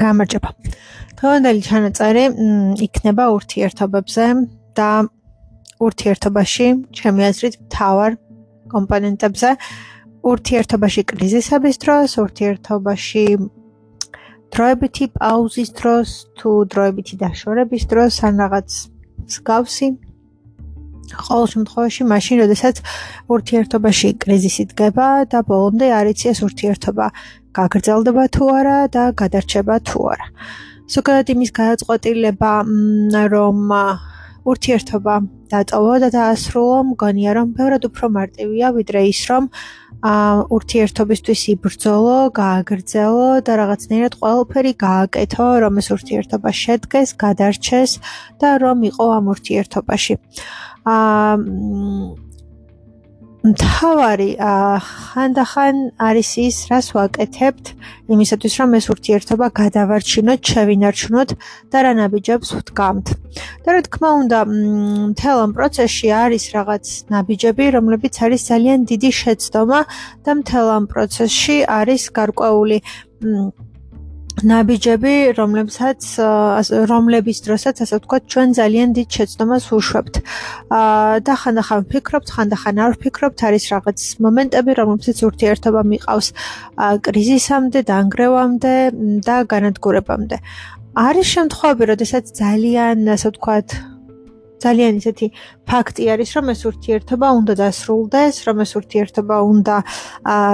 გამარჯობა. დღევანდელი ჩანაწერი იქნება ურთიერთობებზე და ურთიერთობაში, ჩემი აზრით, მთავარ კომპონენტებზე, ურთიერთობაში კრიზისების დროს, ურთიერთობაში დროებითი პაუზის დროს, თუ დროებითი დაშორების დროს, ან რაღაც მსგავსი. ყოველ შემთხვევაში, მაშინ, როდესაც ურთიერთობაში კრიზისი დგება და ბოლომდე არ იცი ეს ურთიერთობა გაგრძელდება თუ არა და გადარჩება თუ არა. ზოგადად იმის გადაწყვეტილება, რომ ურთიერთობა დატოვო და დაასრულო, მგონია, რომ ბევრად უფრო მარტივია, ვიდრე ის, რომ ურთიერთობისთვის იბრძოლო, გააგრძელო და რაღაცნაირად ყველაფერი გააკეთო, რომ ეს ურთიერთობა შედგეს, გადარჩეს და რომ იყო ამ ურთიერთობაში. მთავარი ხანდახან არის ის, რას ვაკეთებთ იმისათვის, რომ ეს ურთიერთობა გადავარჩინოთ, შევინარჩუნოთ და რა ნაბიჯებს ვდგამთ. და რა თქმა უნდა, მთელ ამ პროცესში არის რაღაც ნაბიჯები, რომლებიც არის ძალიან დიდი შეცდომა და მთელ ამ პროცესში არის გარკვეული ნაბიჯები, რომლების დროსაც, ასე ვთქვათ, ჩვენ ძალიან დიდ შეცდომას ვუშვებთ. და ხანდახან ვფიქრობთ, ხანდახან არ ვფიქრობთ, არის რაღაც მომენტები, რომლებსაც ურთიერთობა მიყავს კრიზისამდე, დანგრევამდე და განადგურებამდე. არის შემთხვევები, როდესაც ძალიან, ასე ვთქვათ, ძალიან ისეთი ფაქტი არის, რომ ეს ურთიერთობა უნდა დასრულდეს, რომ ეს ურთიერთობა უნდა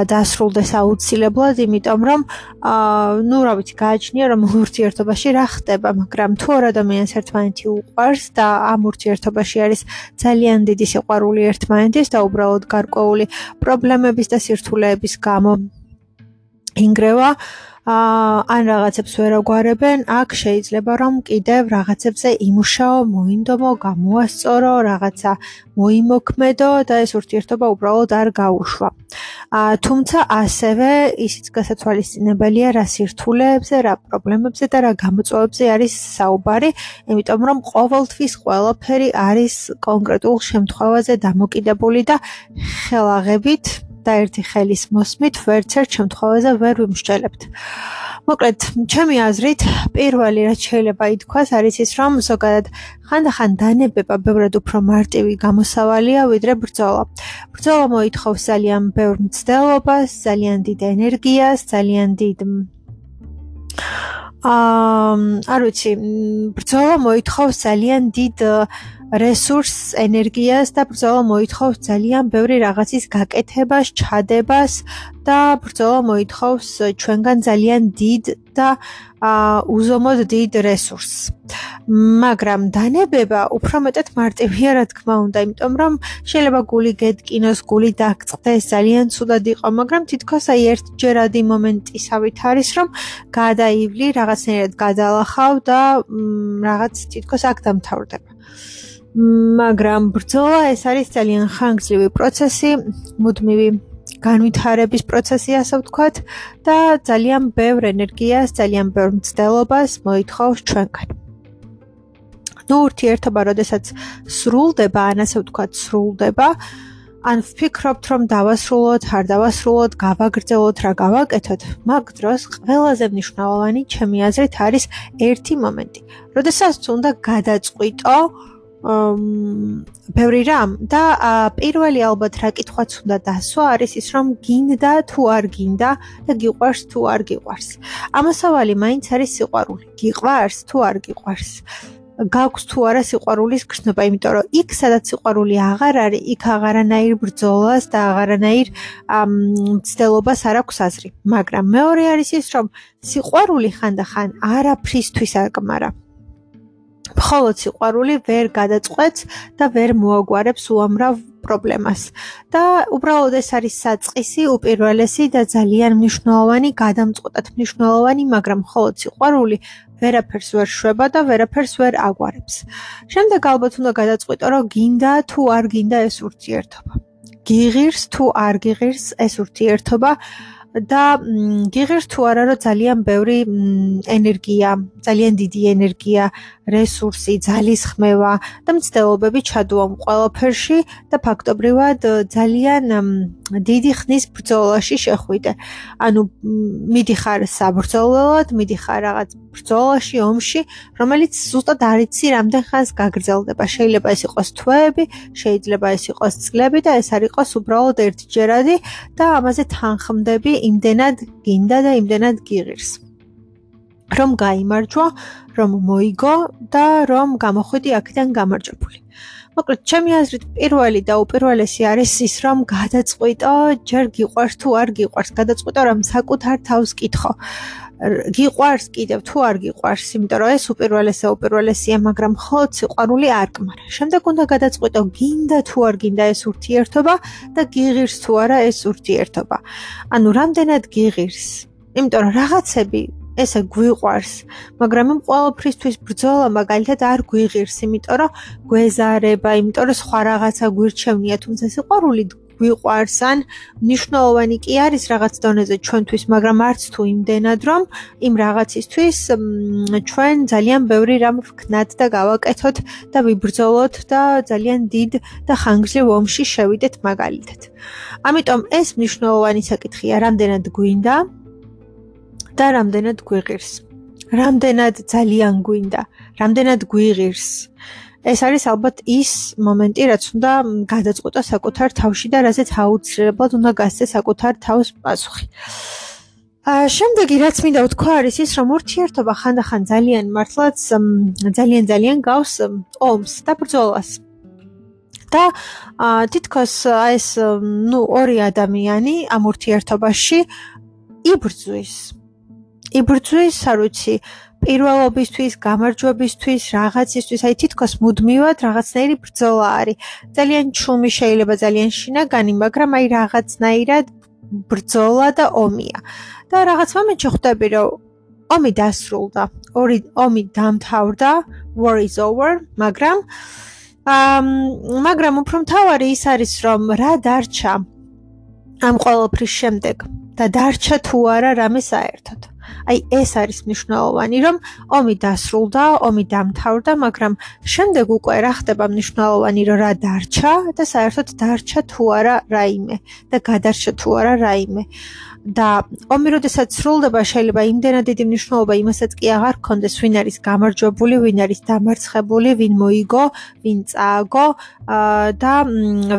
დასრულდეს აუცილებლად, იმიტომ რომ რა ვიცი, გააჩნია, რომ ურთიერთობაში რა ხდება, მაგრამ თუ ორ ადამიანს ერთმანეთი უყვარს და ამ ურთიერთობაში არის ძალიან დიდი სიყვარული ერთმანეთის და უბრალოდ გარკვეული პრობლემების და სირთულეების გამო ინგრევა, ან რაღაცებს ვერ აგვარებენ, აქ შეიძლება რომ კიდევ რაღაცებზე იმუშაო, მოინდომო, გამოასწორო, რაღაცა მოიმოქმედო და ეს ურთიერთობა უბრალოდ არ გაუშვა. თუმცა ასევე ისიც გასათვალისწინებელია, რა სირთულეებზე, რა პრობლემებზე და რა გამოწვევებზე არის საუბარი, იმიტომ რომ ყოველთვის ყველაფერი არის კონკრეტულ შემთხვევაზე დამოკიდებული და ხელაღებით და ერთი ხელის მოსმით ვერც ერთ შემთხვევაზე ვერ ვიმსჯელებთ. მოკლედ, ჩემი აზრით, პირველი რაც შეიძლება ითქვას არის ის, რომ ზოგადად ხანდახან დანებება ბევრად უფრო მარტივი გამოსავალია, ვიდრე ბრძოლა. ბრძოლა მოითხოვს ძალიან ბევრ მცდელობას, ძალიან დიდ ენერგიას, ძალიან დიდ არ ვიცი, ბრძოლა მოითხოვს ძალიან დიდ რესურსს, ენერგიას და ბრძოლა მოითხოვს ძალიან ბევრი რაღაცის გაკეთებას, ჩადებას და ბრძოლა მოითხოვს ჩვენგან ძალიან დიდ და უზომოდ დიდ რესურსს. მაგრამ დანებება უფრო მეტად მარტივია, რა თქმა უნდა, იმიტომ რომ შეიძლება გული გეტკინოს, გული დაგწყდეს, ძალიან ცუდად იყო, მაგრამ თითქოს აი ერთჯერადი მომენტისავით არის, რომ გადაივლი, რაღაცნაირად გადალახავ და რაღაც თითქოს აქ დამთავრდება. მაგრამ ბრძოლა ეს არის ძალიან ხანგრძლივი პროცესი, მუდმივი განვითარების პროცესი, ასე ვთქვათ, და ძალიან ბევრ ენერგიას, ძალიან ბევრ მცდელობას მოითხოვს ჩვენგან. ურთიერთობა, როდესაც სრულდება, ან ასე ვთქვათ, სრულდება, ან ვფიქრობთ, რომ დავასრულოთ, არ დავასრულოთ, გავაგრძელოთ, რა გავაკეთოთ, მაგ დროს ყველაზე მნიშვნელოვანი, ჩემი აზრით, არის ერთი მომენტი, როდესაც უნდა გადაწყვიტო ბევრი რამ და პირველი ალბათ რა კითხვაც უნდა დასვა არის ის, რომ გინდა თუ არ გინდა და გიყვარს თუ არ გიყვარს. ამასავალი მაინც არის სიყვარული. გიყვარს თუ არ გიყვარს. გაქვს თუ არა სიყვარულის გრძნობა, იმიტომ რომ იქ სადაც სიყვარული აღარ არის, იქ აღარანაირ ბრძოლას და აღარანაირ მცდელობას არ აქვს აზრი. მაგრამ მეორე არის ის, რომ სიყვარული ხანდახან არაფრისთვის არ კმარა. მხოლოდ სიყვარული ვერ გადაწყვეტს და ვერ მოაგვარებს უამრავ პრობლემას. და უბრალოდ ეს არის საწყისი, უპირველესი და ძალიან მნიშვნელოვანი, გადამწყვეტად მნიშვნელოვანი, მაგრამ მხოლოდ სიყვარული ვერაფერს ვერ შვება და ვერაფერს ვერ აგვარებს. შემდეგ ალბათ უნდა გადაწყვიტო, რომ გინდა თუ არ გინდა ეს ურთიერთობა. გიღირს თუ არ გიღირს ეს ურთიერთობა და გიღირს თუ არა, რომ ძალიან ბევრი ენერგია, ძალიან დიდი ენერგია, რესურსი, ძალისხმევა და მცდელობები ჩადუამ ყველაფერში და ფაქტობრივად ძალიან დიდი ხნის ბრძოლაში შეხვიდე. ანუ მიდიხარ საბრძოლველად, მიდიხარ რაღაც ბრძოლაში, ომში, რომელიც ზუსტად არ იცი რამდენ ხანს გაგრძელდება. შეიძლება ეს იყოს თვეები, შეიძლება ეს იყოს წლები და ეს არ იყოს უბრალოდ ერთჯერადი და ამაზე თანხმდები იმდენად გინდა და იმდენად გიღირს. რომ გაიმარჯვა, რომ მოიგო და რომ გამოხვიდი აქედან გამარჯვებული. მოკლედ, ჩემი აზრით, პირველი და უპირველესი არის ის, რომ გადაწყვიტო, ჯერ გიყვარს თუ არ გიყვარს, გადაწყვიტო, რომ საკუთარ თავს კითხო. გიყვარს კიდევ თუ არ გიყვარს, იმიტომ რომ ეს უპირველესია, მაგრამ მხოლოდ სიყვარული არ კმარა. შემდეგ უნდა გადაწყვიტო, გინდა თუ არ გინდა ეს ურთიერთობა და გიღირს თუ არა ეს ურთიერთობა. ანუ რამდენად გიღირს? იმიტომ რომ რაღაცები ესე გვიყვარს, მაგრამ იმ ყველაფრისთვის ბრძოლა მაგალითად არ გვიღირს, იმიტომ რომ გვეზარება, იმიტომ რომ სხვა რაღაცა გვირჩევნია, თუმცა სიყვარული გვიყვარს, ან მნიშვნელოვანი კი არის რაღაც დონეზე ჩვენთვის, მაგრამ არც თუ იმდენად, რომ იმ რაღაცისთვის ჩვენ ძალიან ბევრი რამ ვქნათ და გავაკეთოთ და ვიბრძოლოთ და ძალიან დიდ და ხანგრძლივ ომში შევიდეთ მაგალითად. ამიტომ ეს მნიშვნელოვანი საკითხია, რამდენად გვინდა და რამდენად გვიღირს. რამდენად ძალიან გვინდა, რამდენად გვიღირს. ეს არის ალბათ ის მომენტი, რაც უნდა გადაწყვიტო საკუთარ თავში და რაზეც აუცილებლად უნდა გასცე საკუთარ თავს პასუხი. შემდეგი, რაც მინდა ვთქვა, არის ის, რომ ურთიერთობა ხანდახან ძალიან მართლაც ძალიან გავს ომს და ბრძოლას. და თითქოს ეს ორი ადამიანი ამ ურთიერთობაში იბრძვის, არ ვიცი, პირველობისთვის, გამარჯვებისთვის, რაღაცისთვის, აი თითქოს მუდმივად რაღაცნაირი ბრძოლა არის. ძალიან ჩუმი შეიძლება, ძალიან შინაგანი, მაგრამ აი რაღაცნაირად ბრძოლა და ომია. და რაღაც მომენტში ხვდები, რომ ომი დასრულდა, ომი დამთავრდა, war is over, მაგრამ უფრო მთავარი ის არის, რომ რა დარჩა ამ ყველაფრის შემდეგ და დარჩა თუ არა რამე საერთოდ. აი ეს არის მნიშვნელოვანი, რომ ომი დასრულდა, ომი დამთავრდა, მაგრამ შემდეგ უკვე რა ხდება მნიშვნელოვანი, რომ რა დარჩა და საერთოდ დარჩა თუ არა რაიმე და გადარჩა თუ არა რაიმე. და ომი როდესაც სრულდება, შეიძლება იმდენად დიდი მნიშვნელობა იმასაც კი აღარ გქონდეს, ვინ არის გამარჯვებული, ვინ არის დამარცხებული, ვინ მოიგო, ვინ წააგო და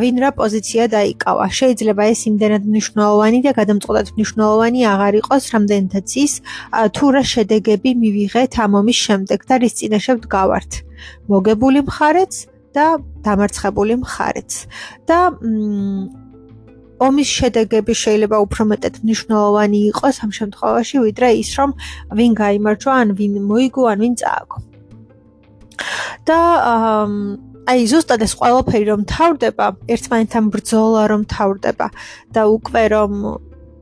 ვინ რა პოზიცია დაიკავა. შეიძლება ეს იმდენად მნიშვნელოვანი და გადამწყვეტად მნიშვნელოვანი აღარ იყოს, რამდენადაც ის თუ რა შედეგები მივიღეთ ამ ომის შემდეგ და რის წინაშე ვდგავართ. მოგებული მხარეც და დამარცხებული მხარეც. და ომის შედეგები შეიძლება უფრო მეტად მნიშვნელოვანი იყოს ამ შემთხვევაში, ვიდრე ის, რომ ვინ გაიმარჯვა, ან ვინ მოიგო, ან ვინ წააგო. და აი ზუსტად ეს ყველაფერი რომ თავდება, ერთმანეთთან ბრძოლა რომ თავდება და უკვე რომ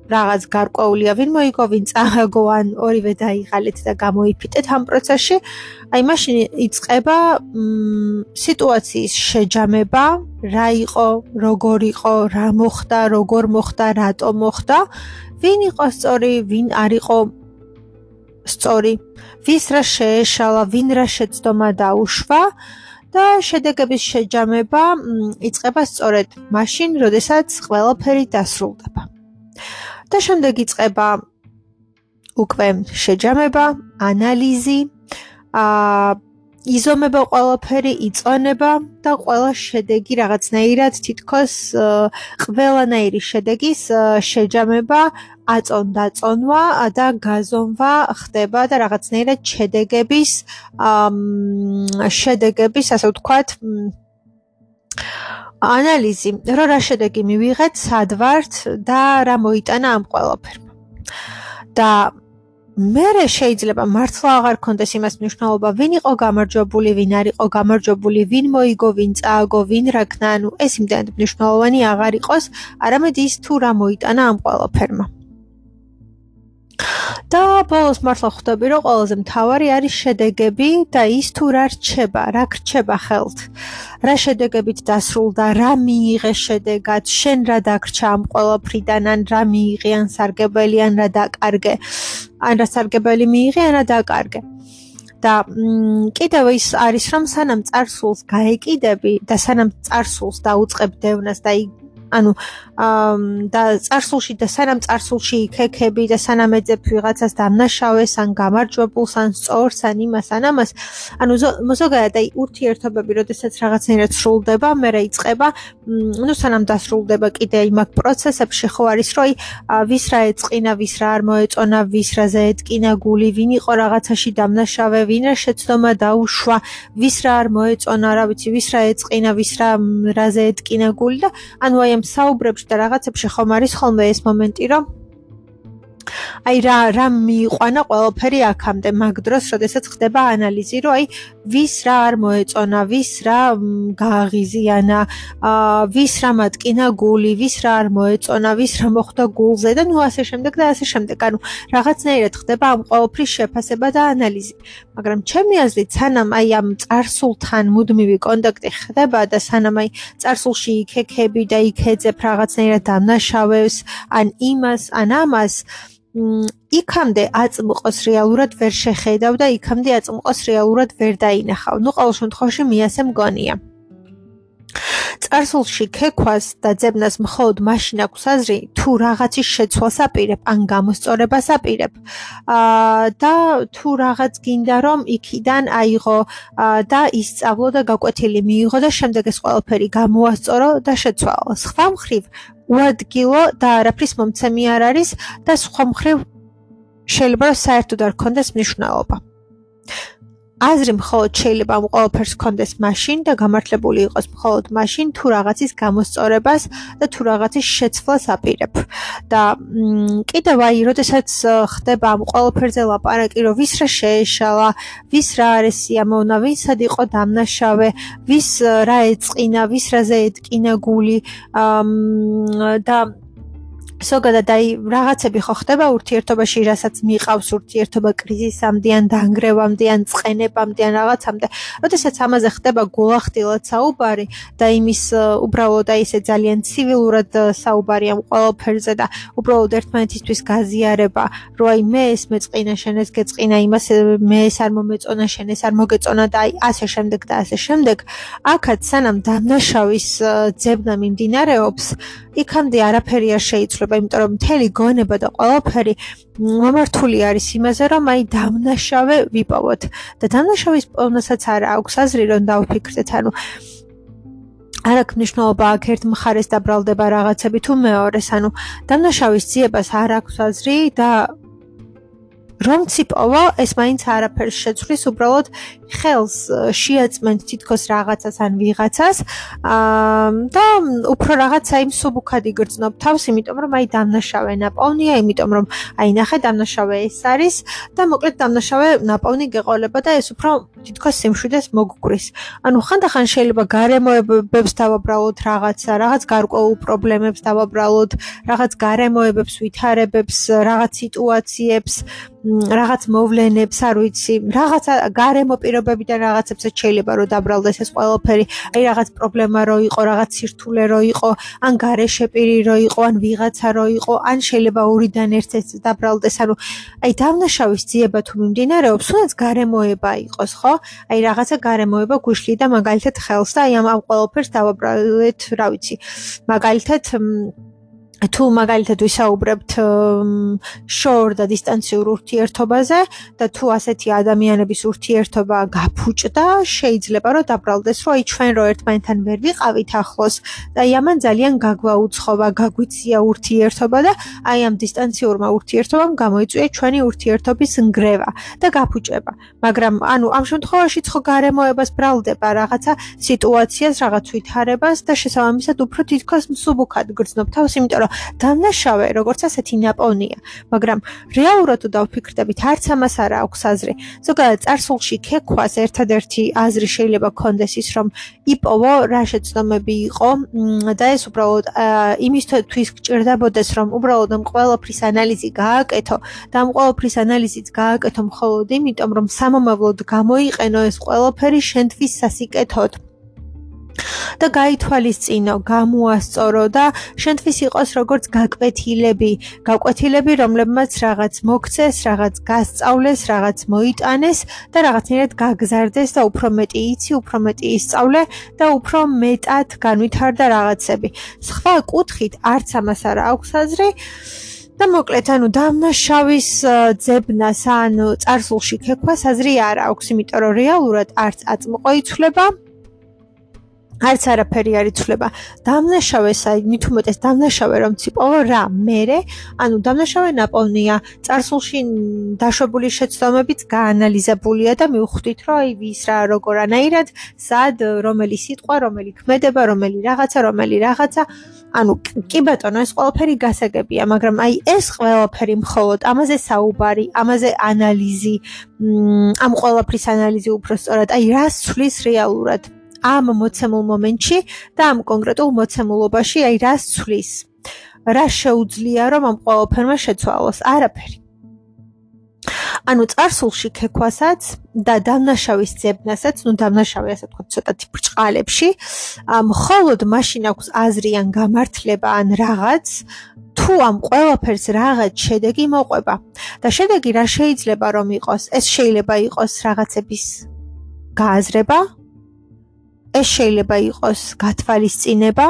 რაღაც გარკვეულია, ვინ მოიგო, ვინ წააგო, ან ორივე დაიღალეთ და გამოიფიტეთ ამ პროცესში, აი მაშინ იწყება სიტუაციის შეჯამება, რა იყო, როგორ იყო, რა მოხდა, როგორ მოხდა, რატო მოხდა, ვინ იყო სწორი, ვინ არ იყო სწორი, ვის რა შეეშალა, ვინ რა შეცდომა დაუშვა და შედეგების შეჯამება იწყება სწორედ მაშინ, როდესაც ყველაფერი დასრულდება. და შემდეგ იწყება უკვე შეჯამება, ანალიზი, იზომება ყველაფერი, იწონება და ყველა შედეგი რაღაცნაირად თითქოს ყველანაირი შედეგის შეჯამება, აწონ-დაწონვა და გაზომვა ხდება და რაღაცნაირად შედეგების, ასე ვთქვათ, ანალიზი, რომ რა შედეგი მივიღეთ, სად ვართ და რა მოიტანა ამ ყველაფერმა. და მერე შეიძლება მართლა აღარ გქონდეს იმას მნიშვნელობა, ვინ იყო გამარჯვებული, ვინ არ იყო გამარჯვებული, ვინ მოიგო, ვინ წააგო, ვინ რა ქნა, ანუ ეს იმდენად მნიშვნელოვანი აღარ იყოს, არამედ ის თუ რა მოიტანა ამ ყველაფერმა. და ბოლოს მართლა ხვდები, რომ ყველაზე მთავარი არის შედეგები და ის თუ რა რჩება, რა გრჩება ხელთ. რა შედეგებით დასრულდა, რა მიიღე შედეგად, შენ რა დაგრჩა ამ ყველაფრიდან, ან რა მიიღე, ან სარგებელი, ან რა დაკარგე, ან რა სარგებელი მიიღე, ან რა დაკარგე. და კიდევ ის არის რომ სანამ წარსულს გაეკიდები და სანამ წარსულს დაუწყებ დევნას და და წარსულში და სანამ წარსულში იქექები და სანამ ეძებ ვიღაცას დამნაშავეს ან გამარჯვებულს ან სწორს ან იმას ან ამას ზოგადად ურთიერთობები როდესაც რაღაცნაირად სრულდება მერე იწყება სანამ დასრულდება კიდე იმ აქ პროცესებში ხო არის რომ ვის რა ეწყინა ვის რა არ მოეწონა ვის რაზე ეტკინა გული ვინ იყო რაღაცაში დამნაშავე ვინ რა შეცდომა დაუშვა ვის რა არ მოეწონა რა ვიცი ვის რა ეწყინა ვის რაზე ეტკინა გული და ანუ აი საუბრებში და რაღაცებში ხომ არის ხოლმე ეს მომენტი რომ რა მიიყვანა ყველაფერი აქამდე მაგ დროს როდესაც ხდება ანალიზი რომ ვის რა არ მოეწონა ვის რა გააღიზიანა ვის რა მატკინა გული ვის რა არ მოეწონა ვის რა მოხდა გულზე და ასე შემდეგ და ასე შემდეგ ანუ რაღაცნაირად ხდება ამ ყველაფრის შეფასება და ანალიზი მაგრამ ჩემი აზრით სანამ ამ წარსულთან მუდმივი კონტაქტი ხდება და სანამ წარსულში იქექები და იქეძებ რაღაცნაირად დამნაშავებს ან იმას ან ამას იქამდე აწმყოს რეალურად ვერ შეხედავ და იქამდე აწმყოს რეალურად ვერ დაინახავ. ყოველ შემთხვევაში მე ასე მგონია. წარსულში ქექვას და ძებნას მხოლოდ მაშინ აქვს აზრი, თუ რაღაცის შეცვლას აპირებ, ან გამოსწორებას აპირებ. და თუ რაღაც გინდა რომ იქიდან აიღო და ისწავლო და გაკვეთილი მიიღო და შემდეგ ეს ყველაფერი გამოასწორო და შეცვალო. სხვა მხრივ უადგილო და არაფრის მომცემი არ არის და სხვა მხრივ შეიძლება რომ საერთოდ არ ქონდეს მნიშვნელობა. აზრი მხოლოდ შეიძლება ამ ყველაფერს ქონდეს მაშინ და გამართლებული იყოს მხოლოდ მაშინ თუ რაღაცის გამოსწორებას და თუ რაღაცის შეცვლას აპირებ. და კიდევ როდესაც ხდება ამ ყველაფერზე ლაპარაკი, რომ ვის რა შეეშალა, ვის რა არის სიამოვნა, ვისად იყო დამნაშავე, ვის რა ეწყინა, ვის რაზე ეტკინა გული და ზოგადად რაღაცები ხო ხდება ურთიერთობაში, რასაც მიყავს ურთიერთობა კრიზისამდე ან დანგრევამდე ან წყენებამდე ან რაღაცამდე. როდესაც ამაზე ხდება გულახდილად საუბარი და იმის უბრალოდ ისე ძალიან ცივილურად საუბარი ამ ყველაფერზე და უბრალოდ ერთმანეთისთვის გაზიარება, რომ მე ეს მეწყინა, შენ ეს გეწყინა, იმას მე ეს არ მომეწონა, შენ ეს არ მოგეწონა და ასე შემდეგ და ასე შემდეგ. აქაც სანამ დამნაშავის ძებნა მიმდინარეობს, იქამდე არაფერი არ შეიცვლება. იმიტომ რომ მთელი გონება და ყველაფერი მომართული არის იმაზე, რომ დამნაშავე ვიპოვოთ. და დამნაშავის პოვნასაც არ აქვს აზრი, რომ დავფიქრდეთ, არ აქვს მნიშვნელობა აქ ერთ მხარეს დაბრალდება რაღაცები თუ მეორეს, დამნაშავის ძიებას არ აქვს აზრი და რომც იპოვა, ეს მაინც არაფერს შეცვლის, უბრალოდ ხელს შეაწმენთ თითქოს რაღაცას ან ვიღაცას და უფრო რაღაცა იმ სუბუქად იგრძნობ თავს, იმიტომ რომ დამნაშავე ნაპოვნია, იმიტომ რომ ნახე დამნაშავე ეს არის და მოკლედ დამნაშავე ნაპოვნი გეყოლება და ეს უფრო თითქოს სიმშვიდეს მოგგვრის. ხანდახან შეიძლება გარემოებებს დავაბრალოთ რაღაც გარკვეულ პრობლემებს დავაბრალოთ, რაღაც გარემოებებს, ვითარებებს, რაღაც სიტუაციებს, რაღაც მოვლენებს, არ ვიცი, რაღაცა გარემო პირობებიდან რაღაცებსაც შეიძლება რომ დაბრალდეს ეს ყველაფერი, რაღაც პრობლემა რო იყო, რაღაც სირთულე რო იყო, ან გარეშე პირი რო იყო, ან ვიღაცა რო იყო, ან შეიძლება ორიდან ერთ-ერთს დაბრალდეს, დამნაშავის ძიება თუ მიმდინარეობს, თუნდაც გარემოება იყოს, ხო? რაღაცა გარემოება გვიშლი და მაგალითად ხელს და ამ ყველაფერს დავაბრალეთ, რა ვიცი, მაგალითად თუ მაგალითად ვისაუბრებთ შორ და დისტანციურ ურთიერთობაზე და თუ ასეთი ადამიანების ურთიერთობა გაფუჭდა, შეიძლება რომ დაბრალდეს, რომ ჩვენ რო ერთმანეთთან ვერ ვიყავით ახლოს და ამან ძალიან გაგვაუცხობა, გაგვიცია ურთიერთობა და ამ დისტანციურმა ურთიერთობამ გამოიწვია ჩვენი ურთიერთობის ნგრევა და გაფუჭება. მაგრამ ამ შემთხვევაშიც ხო გარემოებას ბრალდება რაღაცა სიტუაციას, რაღაც ვითარებას და შესაბამისად უფრო თითქოს მსუბუქად გრძნობ თავს, იმიტომ დამნაშავე როგორც ასეთი ნაპოვნია, მაგრამ რეალურად თუ დავფიქრდებით, არც ამას არ აქვს აზრი. ზოგადად წარსულში ქექვას ერთადერთი აზრი შეიძლება ქონდეს ის, რომ იპოვო რა შეცდომები იყო და ეს უბრალოდ იმისთვის გჭირდებოდეს, რომ უბრალოდ ამ ყველაფრის ანალიზი გააკეთო და ამ ყველაფრის ანალიზიც გააკეთო მხოლოდ იმიტომ, რომ სამომავლოდ გამოიყენო ეს ყველაფერი შენთვის სასიკეთოდ. და გაითვალისწინო, გამოასწორო და შენთვის იყოს როგორც გაკვეთილები, რომლებმაც რაღაც მოგცეს, რაღაც გასწავლეს, რაღაც მოიტანეს და რაღაცნაირად გაგზარდეს და უფრო მეტი იცი, უფრო მეტი ისწავლე და უფრო მეტად განვითარდა რაღაცები. სხვა კუთხით არც ამას არ აქვს აზრი. და მოკლედ, დამნაშავის ძებნას ან წარსულში ქექვას აზრი არ აქვს, იმიტომ რომ რეალურად არც აწმყო იცვლება, არც არაფერი არ იცვლება. დამნაშავეს, მით უმეტეს დამნაშავე რომ ციპოვო რა, მერე, დამნაშავე ნაპოვნია, წარსულში დაშვებული შეცდომებით გაანალიზებულია და მივხვდით, რომ ვის რა როგორანაირად, სად, რომელი სიტყვა, რომელი ქმედება, რომელი რაღაცა, კი ბატონო, ეს ყველაფერი გასაგებია, მაგრამ ეს ყველაფერი მხოლოდ ამაზე საუბარი, ამაზე ანალიზი, ამ ყველაფრის ანალიზი უბრალოდ, რას ცვლის რეალურად ამ მოცემულ მომენტში და ამ კონკრეტულ მოცემულობაში, რას ცვლის, რა შეუძლია რომ ამ ყველაფერმა შეცვალოს, არაფერი. წარსულში ქექვასაც და დამნაშავის ძებნასაც, დამნაშავე ასე ვთქვათ, ცოტათი ბრჭყალებში, მხოლოდ მაშინ აქვს აზრი ან გამართლება ან რაღაც, თუ ამ ყველაფერს რაღაც შედეგი მოყვება. და შედეგი რა შეიძლება რომ იყოს? ეს შეიძლება იყოს რაღაცების გააზრება, ეს შეიძლება იყოს გათვალისწინება,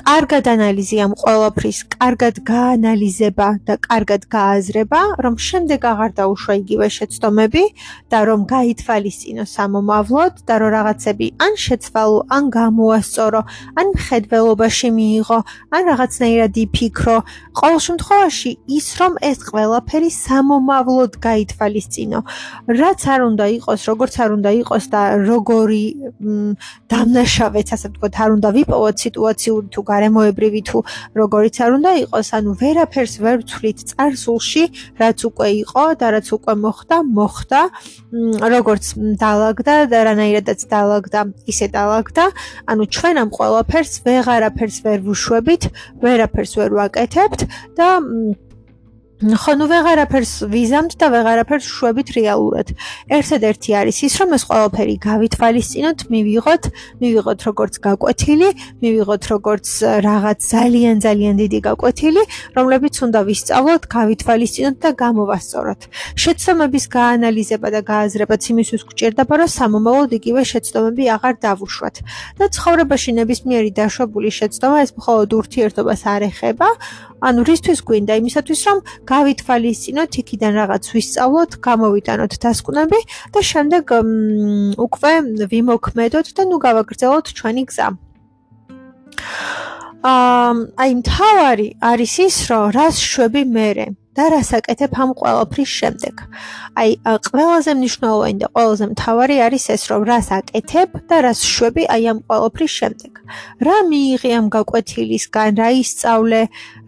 კარგად ანალიზი ამ ყველაფრის, კარგად გაანალიზება და კარგად გააზრება, რომ შემდეგ აღარ დაუშვა იგივე შეცდომები და რომ გაითვალისწინო სამომავლოდ და რომ რაღაცები ან შეცვალო, ან გამოასწორო, ან მხედველობაში მიიღო, ან რაღაცნაირად იფიქრო. ყოველ შემთხვევაში ის რომ ეს ყველაფერი სამომავლოდ გაითვალისწინო. რაც არ უნდა იყოს, როგორც არ უნდა იყოს და როგორი დამნაშავეც, ასე ვთქვათ, არ უნდა ვიპოვოთ სიტუაციური თუ გარემოებრივი თუ როგორიც არ უნდა იყოს, ვერაფერს ვერ ვცვლით წარსულში, რაც უკვე იყო და რაც უკვე მოხდა, როგორც დაალაგდა და რანაირადაც დაალაგდა, ისე დაალაგდა. ჩვენ ამ ყველაფერს ვეღარაფერს ვერ ვუშვებით, ვერაფერს ვერ ვაკეთებთ და ვეღარაფერს ვიზამთ და ვეღარაფერს შვებით რეალურად. ერთადერთი არის ის, რომ ეს ყველაფერი გავითვალისწინოთ, მივიღოთ როგორც გაკვეთილი, მივიღოთ როგორც რაღაც ძალიან დიდი გაკვეთილი, რომლებიც უნდა ვისწავლოთ, გავითვალისწინოთ და გამოვასწოროთ. შეცდომების გაანალიზება და გააზრებაც იმისთვის გვჭირდება, რომ სამომავლოდ იგივე შეცდომები აღარ დავუშვათ. და ცხოვრებაში ნებისმიერი დაშვებული შეცდომა ეს მხოლოდ ურთიერთობას არ ეხება, რისთვის გვინდა? იმისათვის, რომ გავითვალისწინოთ, იქიდან რაღაც ვისწავლოთ, გამოვიტანოთ დასკვნები და შემდეგ უკვე ვიმოქმედოთ და გავაგრძელოთ ჩვენი გზა. მთავარი არის ის, რომ რას შვები მერე და რას აკეთებ ამ ყველაფრის შემდეგ. ყველაზე მნიშვნელოვანი და ყველაზე მთავარი არის ეს, რომ რას აკეთებ და რას შვები ამ ყველაფრის შემდეგ. რა მიიღე ამ გაკვეთილისგან, რა ისწავლე,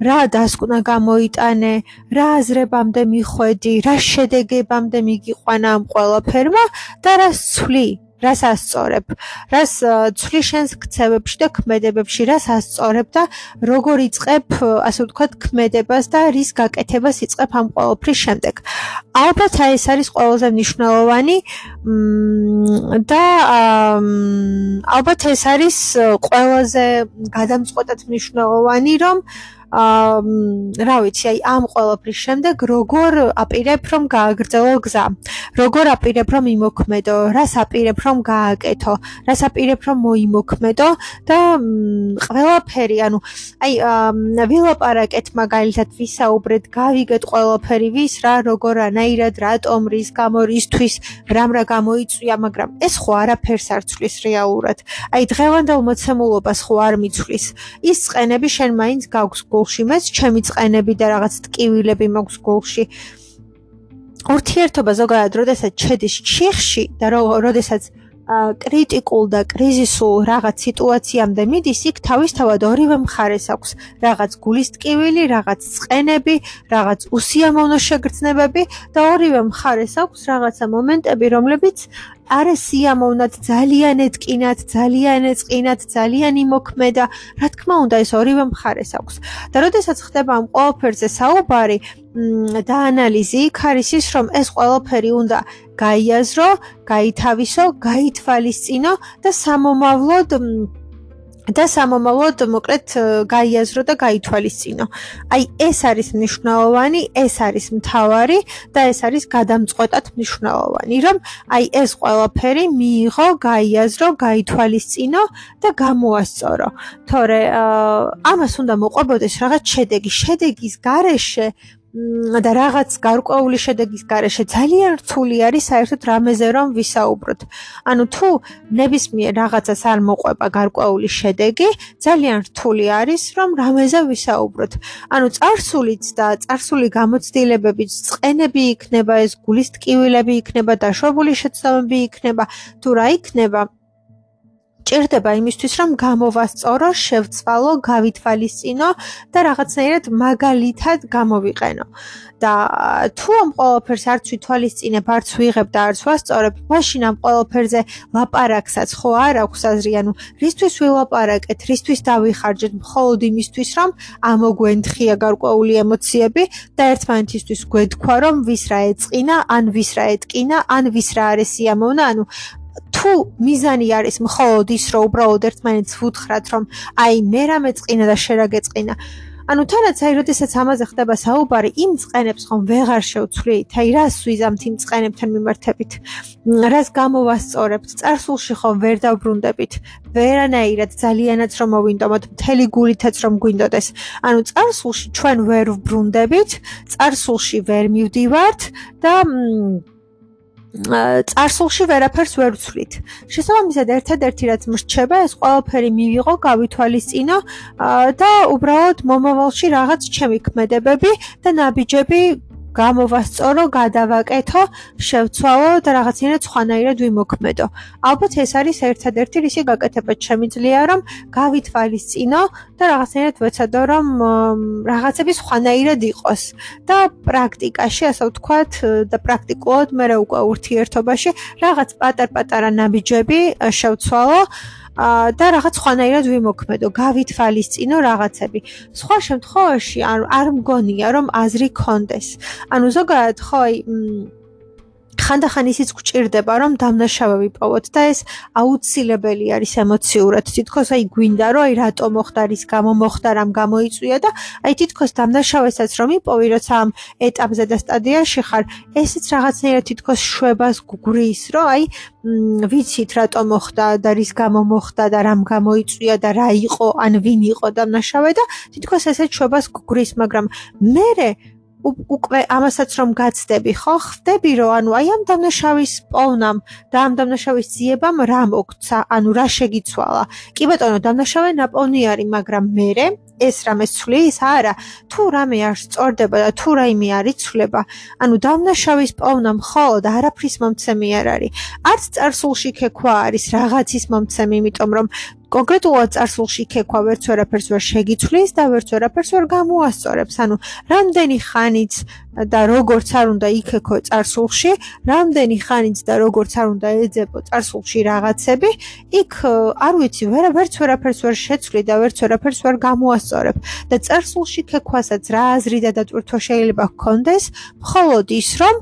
რა დასკვნა გამოიტანე, რა აზრებამდე მიხვედი, რა შედეგებამდე მიგიყვანა ამ ყველაფერმა და რას ცვლი. რას ასწორებ, რას ცვლი შენს ქცევებში და ქმედებებში, რას ასწორებ და როგორ იწყებ, ასე ვთქვათ, ქმედებას და რის გაკეთებას იწყებ ამ ყველაფრის შემდეგ. ალბათ ეს არის ყველაზე მნიშვნელოვანი და ალბათ ეს არის ყველაზე გადამწყვეტად მნიშვნელოვანი, რომ რა ვიცი, ამ ყველაფრის შემდეგ როგორ აპირებ რომ გააგრძელო გზა, როგორ აპირებ რომ იმოქმედო, რას აპირებ რომ გააკეთო, რას აპირებ რომ მოიმოქმედო და ყველაფერი, ვილაპარაკეთ მაგალითად, ვისაუბრეთ, გავიგეთ ყველაფერი, ვის რა, როგორანაირად, რატომ, რის გამო, რისთვის, რა გამოიწვია, მაგრამ ეს ხო არაფერს არ ცვლის რეალურად. დღევანდელ მოცემულობას ხო არ მიცვლის. ის წყენები შენ მაინც გაქვს გულში, მეც ჩემი წყენები და რაღაც ტკივილები მაქვს გულში. ურთიერთობა ზოგადად, როდესაც შედის ჩიხში და როდესაც კრიტიკულ და კრიზისულ რაღაც სიტუაციამდე მიდის, იქ თავისთავად ორივე მხარეს აქვს რაღაც გულის ტკივილი, რაღაც წყენები, რაღაც უსიამოვნო შეგრძნებები და ორივე მხარეს აქვს რაღაცა მომენტები, რომლებიც არა სიამოვნად, ძალიან ეტკინათ, ძალიან ეწყინათ, ძალიან იმოქმედა. რა თქმა უნდა, ეს ორივე მხარეს აქვს. და როდესაც ხდება ამ ყველაფერზე საუბარი და ანალიზი, იქ არის ის, რომ ეს ყველაფერი უნდა გაიაზრო, გაითავისო, გაითვალისწინო და სამომავლოდ მოკლედ გაიაზრო და გაითვალისწინო. აი ეს არის მნიშვნელოვანი, ეს არის მთავარი და ეს არის გადამწყვეტად მნიშვნელოვანი, რომ აი ეს ყველაფერი მიიღო, გაიაზრო, გაითვალისწინო და გამოასწორო. თორე ამას უნდა მოყვებოდეს რაღაც შედეგი, შედეგის გარეშე და რაღაც გარკვეული შედეგის გარეშე ძალიან რთული არის საერთოდ რამეზე რომ ვისაუბროთ. ანუ თუ ნებისმიერ რაღაცას არ მოყვება გარკვეული შედეგი, ძალიან რთული არის რომ რამეზე ვისაუბროთ. ანუ წარსულიც და წარსული გამოცდილებებიც, წყენები იქნება, ეს გულის ტკივილები იქნება, დაშვებული შეცდომები იქნება, თუ რა იქნება, ჭირდება იმისთვის, რომ გამოვასწორო, შევცვალო, გავითვალისწინო და რაღაცნაირად მაგალითად გამოვიყენო. და თუ ამ ყველაფერს არც ვითვალისწინებ, არც ვიღებ და არც ვასწორებ, მაშინ ამ ყველაფერზე ლაპარაკსაც ხო არ აქვს აზრი, ანუ რისთვის ვილაპარაკეთ, რისთვის დავიხარჯეთ, მხოლოდ იმისთვის, რომ ამოგვენთხია გარკვეული ემოციები და ერთმანეთისთვის გვეთქვა, რომ ვის რა ეწყინა, ან ვის რა ეტკინა, ან ვის რა არის სიამოვნა, ანუ თუ მიზანი არის მხოლოდ ის, რომ უბრალოდ ერთმანეთს ვუთხრათ, რომ აი მე რა მეწყინა და შენ რა გეწყინა. ანუ თანაც აი როდესაც ამაზე ხდება საუბარი, იმ წყენებს ხომ ვეღარ შევცვლით, აი რას ვიზამთ იმ წყენებთან მიმართებით, რას გამოვასწორებთ, წარსულში ხომ ვერ დავბრუნდებით, ვერანაირად ძალიანაც რომ მოვინდომოთ, მთელი გულითაც რომ გვინდოდეს. ანუ წარსულში ჩვენ ვერ ვბრუნდებით, წარსულში ვერ მივდივართ და წარსულში ვერაფერს ვერ ვცვლით. შესაბამისად, ერთადერთი რაც მრჩება, ეს ყველაფერი მივიღო, გავითვალისწინო და უბრალოდ მომავალში რაღაც ჩემი ქმედებები და ნაბიჯები გამოვასწორო, გადავაკეთო, შევცვალო და რაღაცნაირად სხვანაირად ვიმოქმედო. ალბათ ეს არის ერთადერთი რისი გაკეთება შემიძლია, რომ გავითვალისწინო და რაღაცნაირად ვეცადო, რომ რაღაცები სხვანაირად იყოს. და პრაქტიკაში, ასე ვთქვათ, და პრაქტიკულად მე უკვე ურთიერთობაში რაღაც პატარ-პატარა ნაბიჯები შევცვალო და რაღაც სხვანაირად ვიმოქმედო, გავითვალისწინო რაღაცები. სხვა შემთხვევაში არ მგონია, რომ აზრი კონდეს. ანუ ზოგადად ხო აი ხანდახან ისიც გვჭირდება, რომ დამნაშავე ვიპოვოთ და ეს აუცილებელი არის ემოციურად. თითქოს აი გვინდა, რომ აი რატო მოხდა, რის გამო მოხდა, რამ გამოიწვია და აი თითქოს დამნაშავესაც რომ იპოვი, როცა ამ ეტაპზე და სტადიაში ხარ, ესეც რაღაცნაირად თითქოს შვებას გგრის, რომ აი ვიცით რატო მოხდა და რის გამო მოხდა და რამ გამოიწვია და რა იყო, ან ვინ იყო დამნაშავე და თითქოს ესეც შვებას გგრის, მაგრამ მერე უკვე ამასაც რომ გაცდები, ხო, ხდები რომ ანუ აი ამ დამნაშავის პოვნამ და ამ დამნაშავის ძიებამ რა მოგცა, ანუ რა შეგიცვალა. კი ბატონო, დამნაშავე ნაპოვნი არის, მაგრამ მერე ეს რამეს ცვლის, არა, თუ რამე არ სწორდება და თუ რაიმე არ იცვლება, ანუ დამნაშავის პოვნა მხოლოდ არაფრის მომცემი არ არის. არც წარსულში ქექვა არის რაღაცის მომცემი, იმიტომ რომ კონკრეტულად წარსულში ქექვა ვერც ვერაფერს ვერ შეგიცვლის და ვერც ვერაფერს ვერ გამოასწორებს. ანუ რამდენი ხანიც და როგორც არ უნდა იქექო წარსულში, რამდენი ხანიც და როგორც არ უნდა ეძებო წარსულში რაღაცები, იქ არ ვიცი, ვერც ვერაფერს ვერ შეცვლი და ვერც ვერაფერს ვერ გამოასწორებ. და წარსულში ქექვასაც რა აზრი და დატვირთვა შეიძლება გქონდეს, მხოლოდ ის, რომ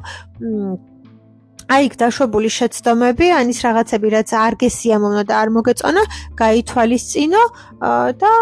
აი იქ დაშვებული შეცდომები, ან ის რაღაცები, რაც არ გესიამოვნა და არ მოგეწონა, გაითვალისწინო და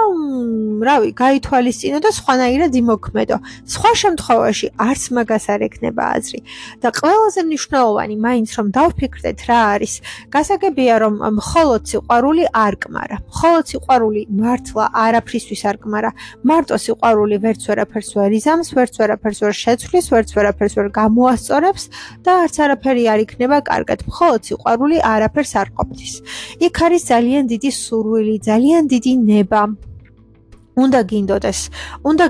რავი, გაითვალისწინო და სხვანაირად იმოქმედო. სხვა შემთხვევაში არც მაგას არ ექნება აზრი. და ყველაზე მნიშვნელოვანი მაინც რომ დავფიქრდეთ რა არის, გასაგებია რომ მხოლოდ სიყვარული არ კმარა. მხოლოდ სიყვარული მართლა არაფრისთვის არ კმარა. მარტო სიყვარული ვერც ვერაფერს ვერ იზამს, ვერც ვერაფერს ვერ შეცვლის, ვერც ვერაფერს ვერ გამოასწორებს და არც არაფერი არ იქნება კარგად. მხოლოდ სიყვარული არაფერს არ ყოფნის. იქ არის ძალიან დიდი სურვილი, ძალიან დიდი ნება. უნდა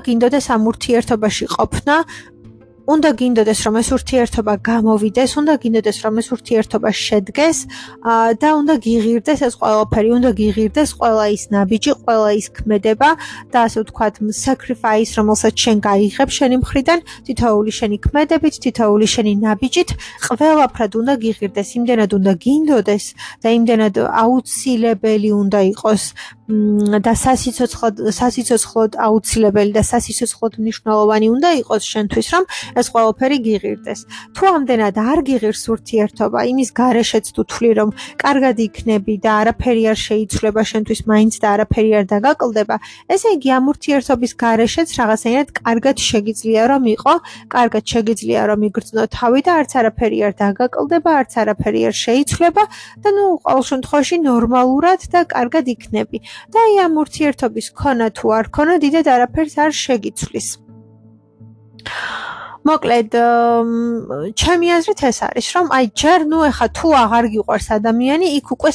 გინდოდეს ამ ურთიერთობაში ყოფნა, უნდა გინდოდეს რომ ეს ურთიერთობა გამოვიდეს, უნდა გინდოდეს რომ ეს ურთიერთობა შედგეს და უნდა გიღირდეს ეს ყველაფერი, უნდა გიღირდეს ყველა ის ნაბიჯი, ყველა ის ქმედება და ასე ვთქვათ, sacrifice, რომელსაც შენ გაიღებ შენი მხრიდან, თითოეული შენი ქმედებით, თითოეული შენი ნაბიჯით, ყველაფრად უნდა გიღირდეს, იმდენად უნდა გინდოდეს და იმდენად აუცილებელი უნდა იყოს და სასიცოცხლოდ აუცილებელი და სასიცოცხლოდ მნიშვნელოვანი უნდა იყოს შენთვის, რომ ეს ყველაფერი გიღირდეს. თუ ამდენად არ გიღირს ურთიერთობა, იმის გარეშეც თუ თვლი, რომ კარგად იქნები და არაფერი არ შეიცვლება შენთვის მაინც და არაფერი არ დაგაკლდება, ესე იგი ამ ურთიერთობის გარეშეც რაღაცნაირად კარგად შეგიძლია რომ იყო, კარგად შეგიძლია რომ იგრძნო თავი და არც არაფერი არ დაგაკლდება, არც არაფერი არ შეიცვლება და ყოველ შემთხვევაში ნორმალურად და კარგად იქნები. და აი ამ ურთიერთობის ქონა თუ არ ქონა, დიდად არაფერს არ შეგიცვლის. მოკლედ, ჩემი აზრით ეს არის, რომ აი ჯერ ეხა თუ აღარ გიყვარს ადამიანი, იქ უკვე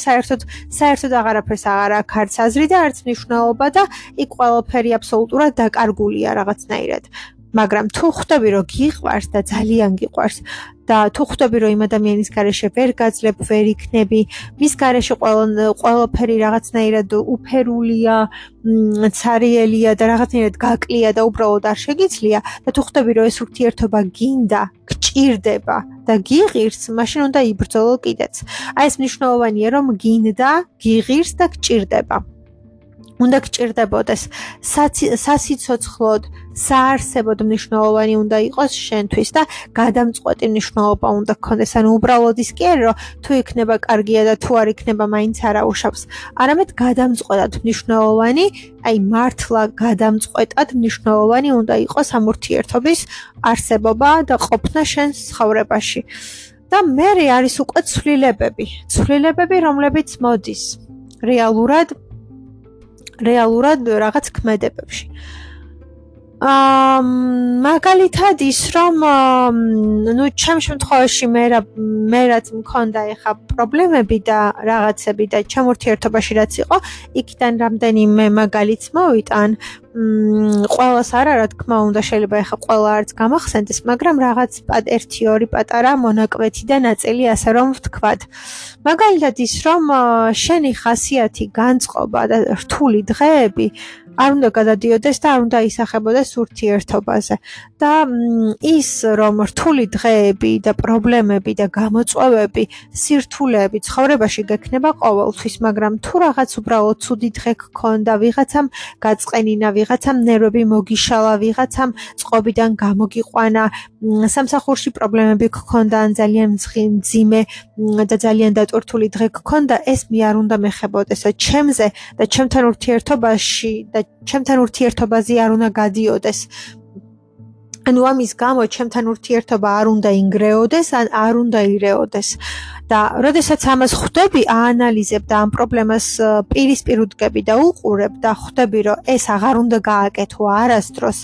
საერთოდ აღარაფერს აღარ აქვს არც აზრი და არც მნიშვნელობა და იქ ყველაფერი აბსოლუტურად დაკარგულია რაღაცნაირად. მაგრამ თუ ხვდები, რომ გიყვარს და ძალიან გიყვარს და თუ ხვდები, რომ იმ ადამიანის გარეშე ვერ გაძლებ, ვერ იქნები, მის გარეშე ყველაფერი რაღაცნაირად უფერულია, ცარიელია და რაღაცნაირად გაკლია და უბრალოდ არ შეგიძლია და თუ ხვდები, რომ ეს ურთიერთობა გინდა, გჭირდება და გიღირს, მაშინ უნდა იბრძოლო კიდეც. აი ეს მნიშვნელოვანია, რომ გინდა, გიღირს და გჭირდება. უნდა გჭირდებოდეს სასიცოცხლოდ, საარსებოდ მნიშვნელოვანი უნდა იყოს შენთვის და გადამწყვეტი მნიშვნელობა უნდა გქონდეს. ანუ უბრალოდ ის კი არა, რომ თუ იქნება კარგია და თუ არ იქნება მაინც არაუშავს. არამედ გადამწყვეტად მნიშვნელოვანი, აი მართლა გადამწყვეტად მნიშვნელოვანი უნდა იყოს ამ ურთიერთობის არსებობა და ყოფნა შენს ცხოვრებაში. და მერე არის უკვე ცვლილებები, რომლებიც მოდის რეალურად რაღაც ქმედებებში. მაგალითად ის, რომ ჩემ შემთხვევაში მე რაც მქონდა ეხა პრობლემები და რაღაცები და ჩემ ურთიერთობაში რაც იყო, იქიდან რამდენიმე მაგალითს მოვიტან. ყველას არა, რა თქმა უნდა, შეიძლება ეხა ყველა არც გამახსენდეს, მაგრამ რაღაც 1-2 პატარა მონაკვეთი და ნაწილი, ასე რომ ვთქვათ. მაგალითად ის, რომ შენი ხასიათი, განწყობა და რთული დღეები არ უნდა გადადიოდეს და არ უნდა ისახებოდეს ურთიერთობაზე. და ის, რომ რთული დღეები და პრობლემები და გამოწვევები, სირთულეები ცხოვრებაში გექნება ყოველთვის, მაგრამ თუ რაღაც უბრალოდ ცუდი დღე გქონდა, ვიღაცამ გაწყენინა, ვიღაცამ ნერვები მოგიშალა, ვიღაცამ წყობიდან გამოგიყვანა, სამსახურში პრობლემები გქონდა, ან ძალიან მძიმე და ძალიან დატვირთული დღე გქონდა, ეს მე არ უნდა მეხებოდეს ჩემზე და ჩემთან ურთიერთობაში და ჩემთან ურთიერთობაზე არ უნდა გადიოდეს. ანუ ამის გამო ჩემთან ურთიერთობა არ უნდა ინგრეოდეს, ან არ უნდა ირეოდეს. და როდესაც ამას ხვდები, აანალიზებ და ამ პრობლემას პირისპირ უდგები და უყურებ და ხვდები, რომ ეს აღარ უნდა გააკეთო არასდროს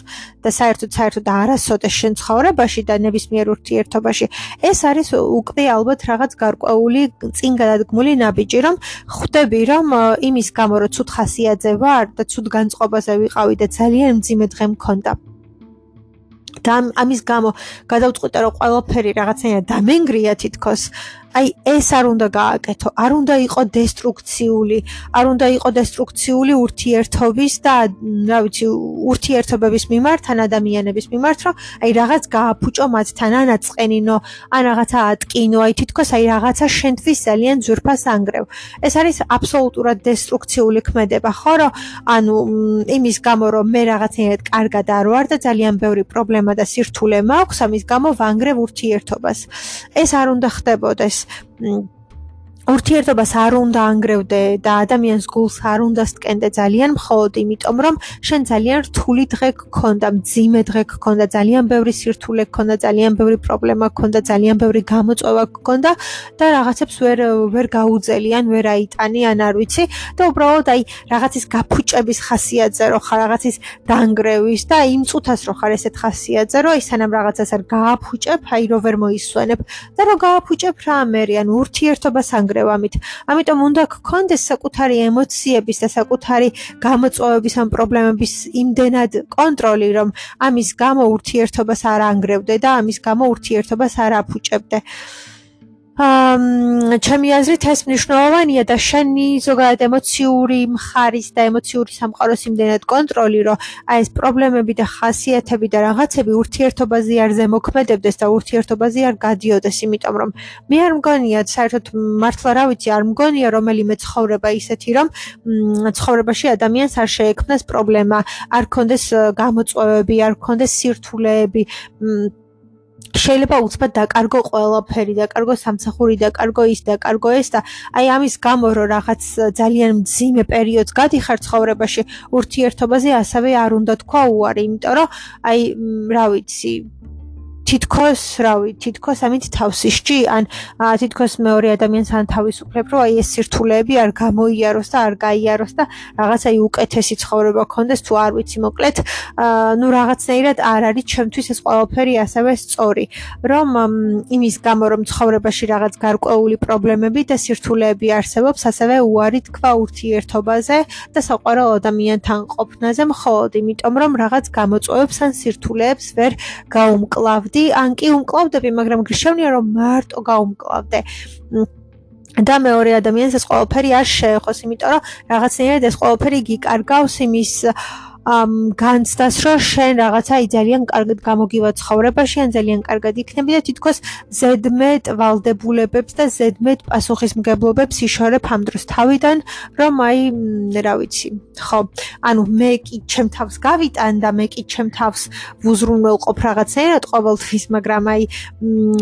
და საერთოდ არასოდეს შენ ცხოვრებაში და ნებისმიერ ურთიერთობაში, ეს არის უკვე ალბათ რაღაც გარკვეული წინ გადადგმული ნაბიჯი, რომ ხვდები, რომ იმის გამო, რომ ცუდ ხასიათზე ვარ და ცუდ განწყობაზე ვიყავი და ძალიან მძიმე დღე მქონდა. და ამის გამო გადავწყვიტე, რომ ყველაფერი რაღაცნაირად დამენგრია თითქოს. აი ეს არ უნდა გააკეთო, არ უნდა იყო დესტრუქციული ურთიერთობის და რა ვიცი, ურთიერთობების მიმართ, ან ადამიანების მიმართ, რომ აი რაღაც გააფუჭო მათთან, ან აწყენინო, ან რაღაცა ატკინო, აი თითქოს აი რაღაცა შენთვის ძალიან ძვირფას ანგრევ. ეს არის აბსოლუტურად დესტრუქციული ქმედება, ხო, რომ ანუ იმის გამო, რომ მე რაღაცნაირად კარგად არ ვარ და ძალიან ბევრი პრობლემა და სირთულე მაქვს, ამის გამო ვანგრევ ურთიერთობას. ეს არ უნდა ხდებოდეს. ურთიერთობას არ უნდა ანგრევდე და ადამიანს გულს არ უნდა სტკენდე ძალიან მხოლოდ იმიტომ, რომ შენ ძალიან რთული დღე გქონდა, მძიმე დღე გქონდა, ძალიან ბევრი სირთულე გქონდა, ძალიან ბევრი პრობლემა გქონდა, ძალიან ბევრი გამოწვევა გქონდა და რაღაცებს ვერ გაუძელი, ან ვერ აიტანი, ან არ ვიცი და უბრალოდ აი რაღაცის გაფუჭების ხასიათზე რო ხარ, რაღაცის დანგრევის და იმ წუთას რო ხარ ესეთ ხასიათზე, რომ ისანამ რაღაცას არ გააფუჭებ, აი რო ვერ მოისვენებ და რო გააფუჭებ რა მერე, ან ურთიერთობას ანგრევ დაანგრევ ამით. ამიტომ უნდა გქონდეს საკუთარი ემოციების და საკუთარი გამოწვევების ამ პრობლემების იმდენად კონტროლი, რომ ამის გამო ურთიერთობას არ ანგრევდე და ამის გამო ურთიერთობას არ აფუჭებდე. ჩემი აზრით ეს მნიშვნელოვანია და შენი ზოგადად ემოციური მხარის და ემოციური სამყაროს იმდენად კონტროლი, რომ აი ეს პრობლემები და ხასიათები და რაღაცები ურთიერთობაზე არ ზემოქმედებდეს და ურთიერთობაზე არ გადიოდეს, იმიტომ რომ მე არ მგონია, საერთოდ მართლა რა ვიცი, არ მგონია რომელიმე ცხოვრება ისეთი, რომ ცხოვრებაში ადამიანს არ შეექმნას პრობლემა, არ ქონდეს გამოწვევები, არ ქონდეს სირთულეები, შეიძლება უცბად დაკარგო ყველაფერი, დაკარგო სამსახური, დაკარგო ის, დაკარგო ეს და აი ამის გამო რომ რაღაც ძალიან მძიმე პერიოდს გადიხარ ცხოვრებაში, ურთიერთობაზე ასევე არ უნდა თქვა უარი, იმიტომ რომ აი რა ვიცი, თითქოს ამით თავს ისჭი, ან თითქოს მეორე ადამიანს ან თავისუფლებ, რომ აი ეს სირთულეები არ გამოიაროს და არ გაიაროს და რაღაც აი უკეთესი ცხოვრება გქონდეს, თუ არ ვიცი, მოკლედ, ნუ რაღაცნაირად არ არის ჩემთვის ეს ყველაფერი ასევე სწორი, რომ იმის გამო, რომ ცხოვრებაში რაღაც გარკვეული პრობლემები და სირთულეები არსებობს, ასევე უარი თქვა ურთიერთობაზე და საყვარელ ადამიანთან ყოფნაზე, მხოლოდ იმიტომ, რომ რაღაც გამოწვევებს ან სირთულეებს ვერ გაუმკლავდი. ან კი უმკლავდები, მაგრამ გიშევნია რომ მარტო გაუმკლავდე. და მეორე ადამიანს ეს ყველაფერი არ შეეხოს, იმიტომ რომ რაღაცნაირად ეს ყველაფერი გიკარგავს იმის განცდას, რომ შენ რაღაცა ძალიან კარგად გამოგივა ცხოვრებაში, ან ძალიან კარგად იქნები და თითქოს ზედმეტ ვალდებულებებს და ზედმეტ პასუხისმგებლობებს იშორებ ამ დროს თავიდან, რომ აი, რა ვიცი, ხო, ანუ მე კი ჩემ თავს გავიტან და მე კი ჩემ თავს ვუზრუნველყოფ რაღაცნაირად ყოველთვის, მაგრამ აი,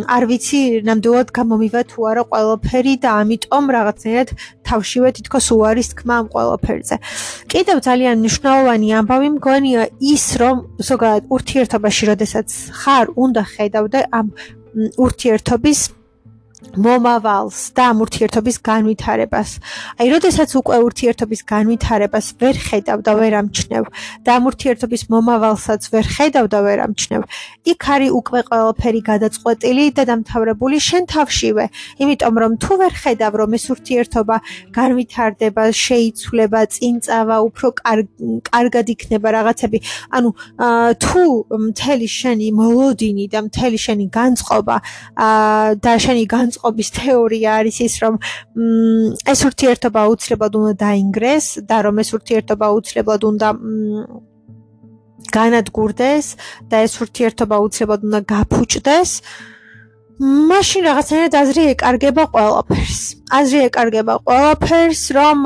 არ ვიცი, ნამდვილად გამომივა თუ არა ყველაფერი და ამიტომ რაღაცნაირად თავშივე თითქოს უარის თქმა ამ ყველაფერზე. კიდევ ძალიან მნიშვნელოვანი ამბავი მგონია ის, რომ ზოგადად ურთიერთობაში, როდესაც ხარ, უნდა ხედავდე ამ ურთიერთობის მომავალს და ამ ურთიერთობის განვითარებას. აი, როდესაც უკვე ურთიერთობის განვითარებას ვერ ხედავ და ვერ ამჩნევ და ამ ურთიერთობის მომავალსაც ვერ ხედავ და ვერ ამჩნევ, იქ არის უკვე ყველაფერი გადაწყვეტილი და დამთავრებული შენ თავშივე. იმიტომ რომ თუ ვერ ხედავ, რომ ეს ურთიერთობა განვითარდება, შეიცვლება, წინწავა, უფრო კარგად იქნება რაღაცები, ანუ თუ მთელი შენი მოლოდინი და მთელი შენი განწყობა და შენი განწყობის თეორია არის ის, რომ ეს ურთიერთობა აუცილებლად უნდა დაინგრეს და რომ ეს ურთიერთობა აუცილებლად უნდა განადგურდეს და ეს ურთიერთობა აუცილებლად უნდა გაფუჭდეს, მაშინ რაღაცნაირად აზრი ეკარგება ყველაფერს. აზრი ეკარგება ყველაფერს, რომ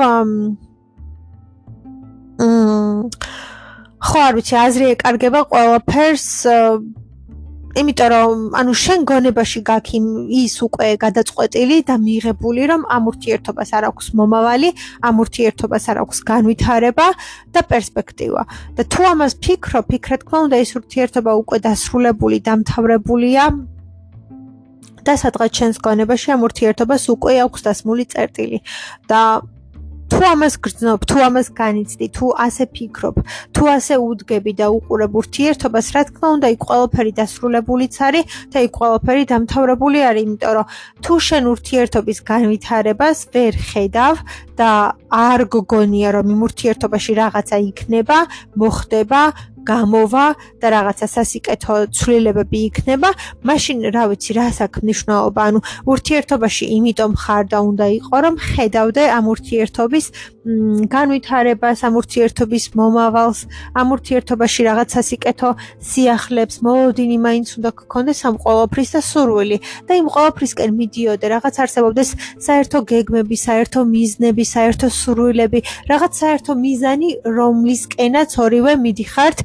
ხო, არ ვიცი, აზრი ეკარგება ყველაფერს, იმიტომ რომ ანუ შენ გონებაში გაქვს ის უკვე გადაწყვეტილი და მიღებული, რომ ამ ურთიერთობას არ აქვს მომავალი, ამ ურთიერთობას არ აქვს განვითარება და პერსპექტივა. და თუ ამას ფიქრობ, რა თქმა უნდა, ეს ურთიერთობა უკვე დასრულებული, დამთავრებულია და სადღაც შენს გონებაში ამ ურთიერთობას უკვე აქვს დასმული წერტილი. და თუ ამას გრძნობ, თუ ამას განიცდი, თუ ასე ფიქრობ, თუ ასე უდგები და უყურებ ურთიერთობას, რა თქმა უნდა, იქ ყველაფერი დასრულებულიც არის და იქ ყველაფერი დამთავრებული არის, იმიტომ რომ თუ შენ ურთიერთობის განვითარებას ვერ ხედავ და არ გგონია, რომ იმ ურთიერთობაში რაღაცა იქნება, მოხდება, გამოვა და რაღაცა სასიკეთო ცვლილებები იქნება, მაშინ რა ვიცი, რას აქვს მნიშვნელობა, ანუ ურთიერთობაში იმიტომ ხარ და უნდა იყო, რომ ხედავდე ამ ურთიერთობის განვითარებას, ამ ურთიერთობის მომავალს, ამ ურთიერთობაში რაღაც სასიკეთო სიახლებს, მოლოდინი მაინც უნდა გქონდეს ამ ყველაფრის და სურვილი და იმ ყველაფრისკენ მიდიოდე, რაღაც არსებობდეს საერთო გეგმები, საერთო მიზნები, საერთო სურვილები, რაღაც საერთო მიზანი, რომლისკენაც ორივე მიდიხართ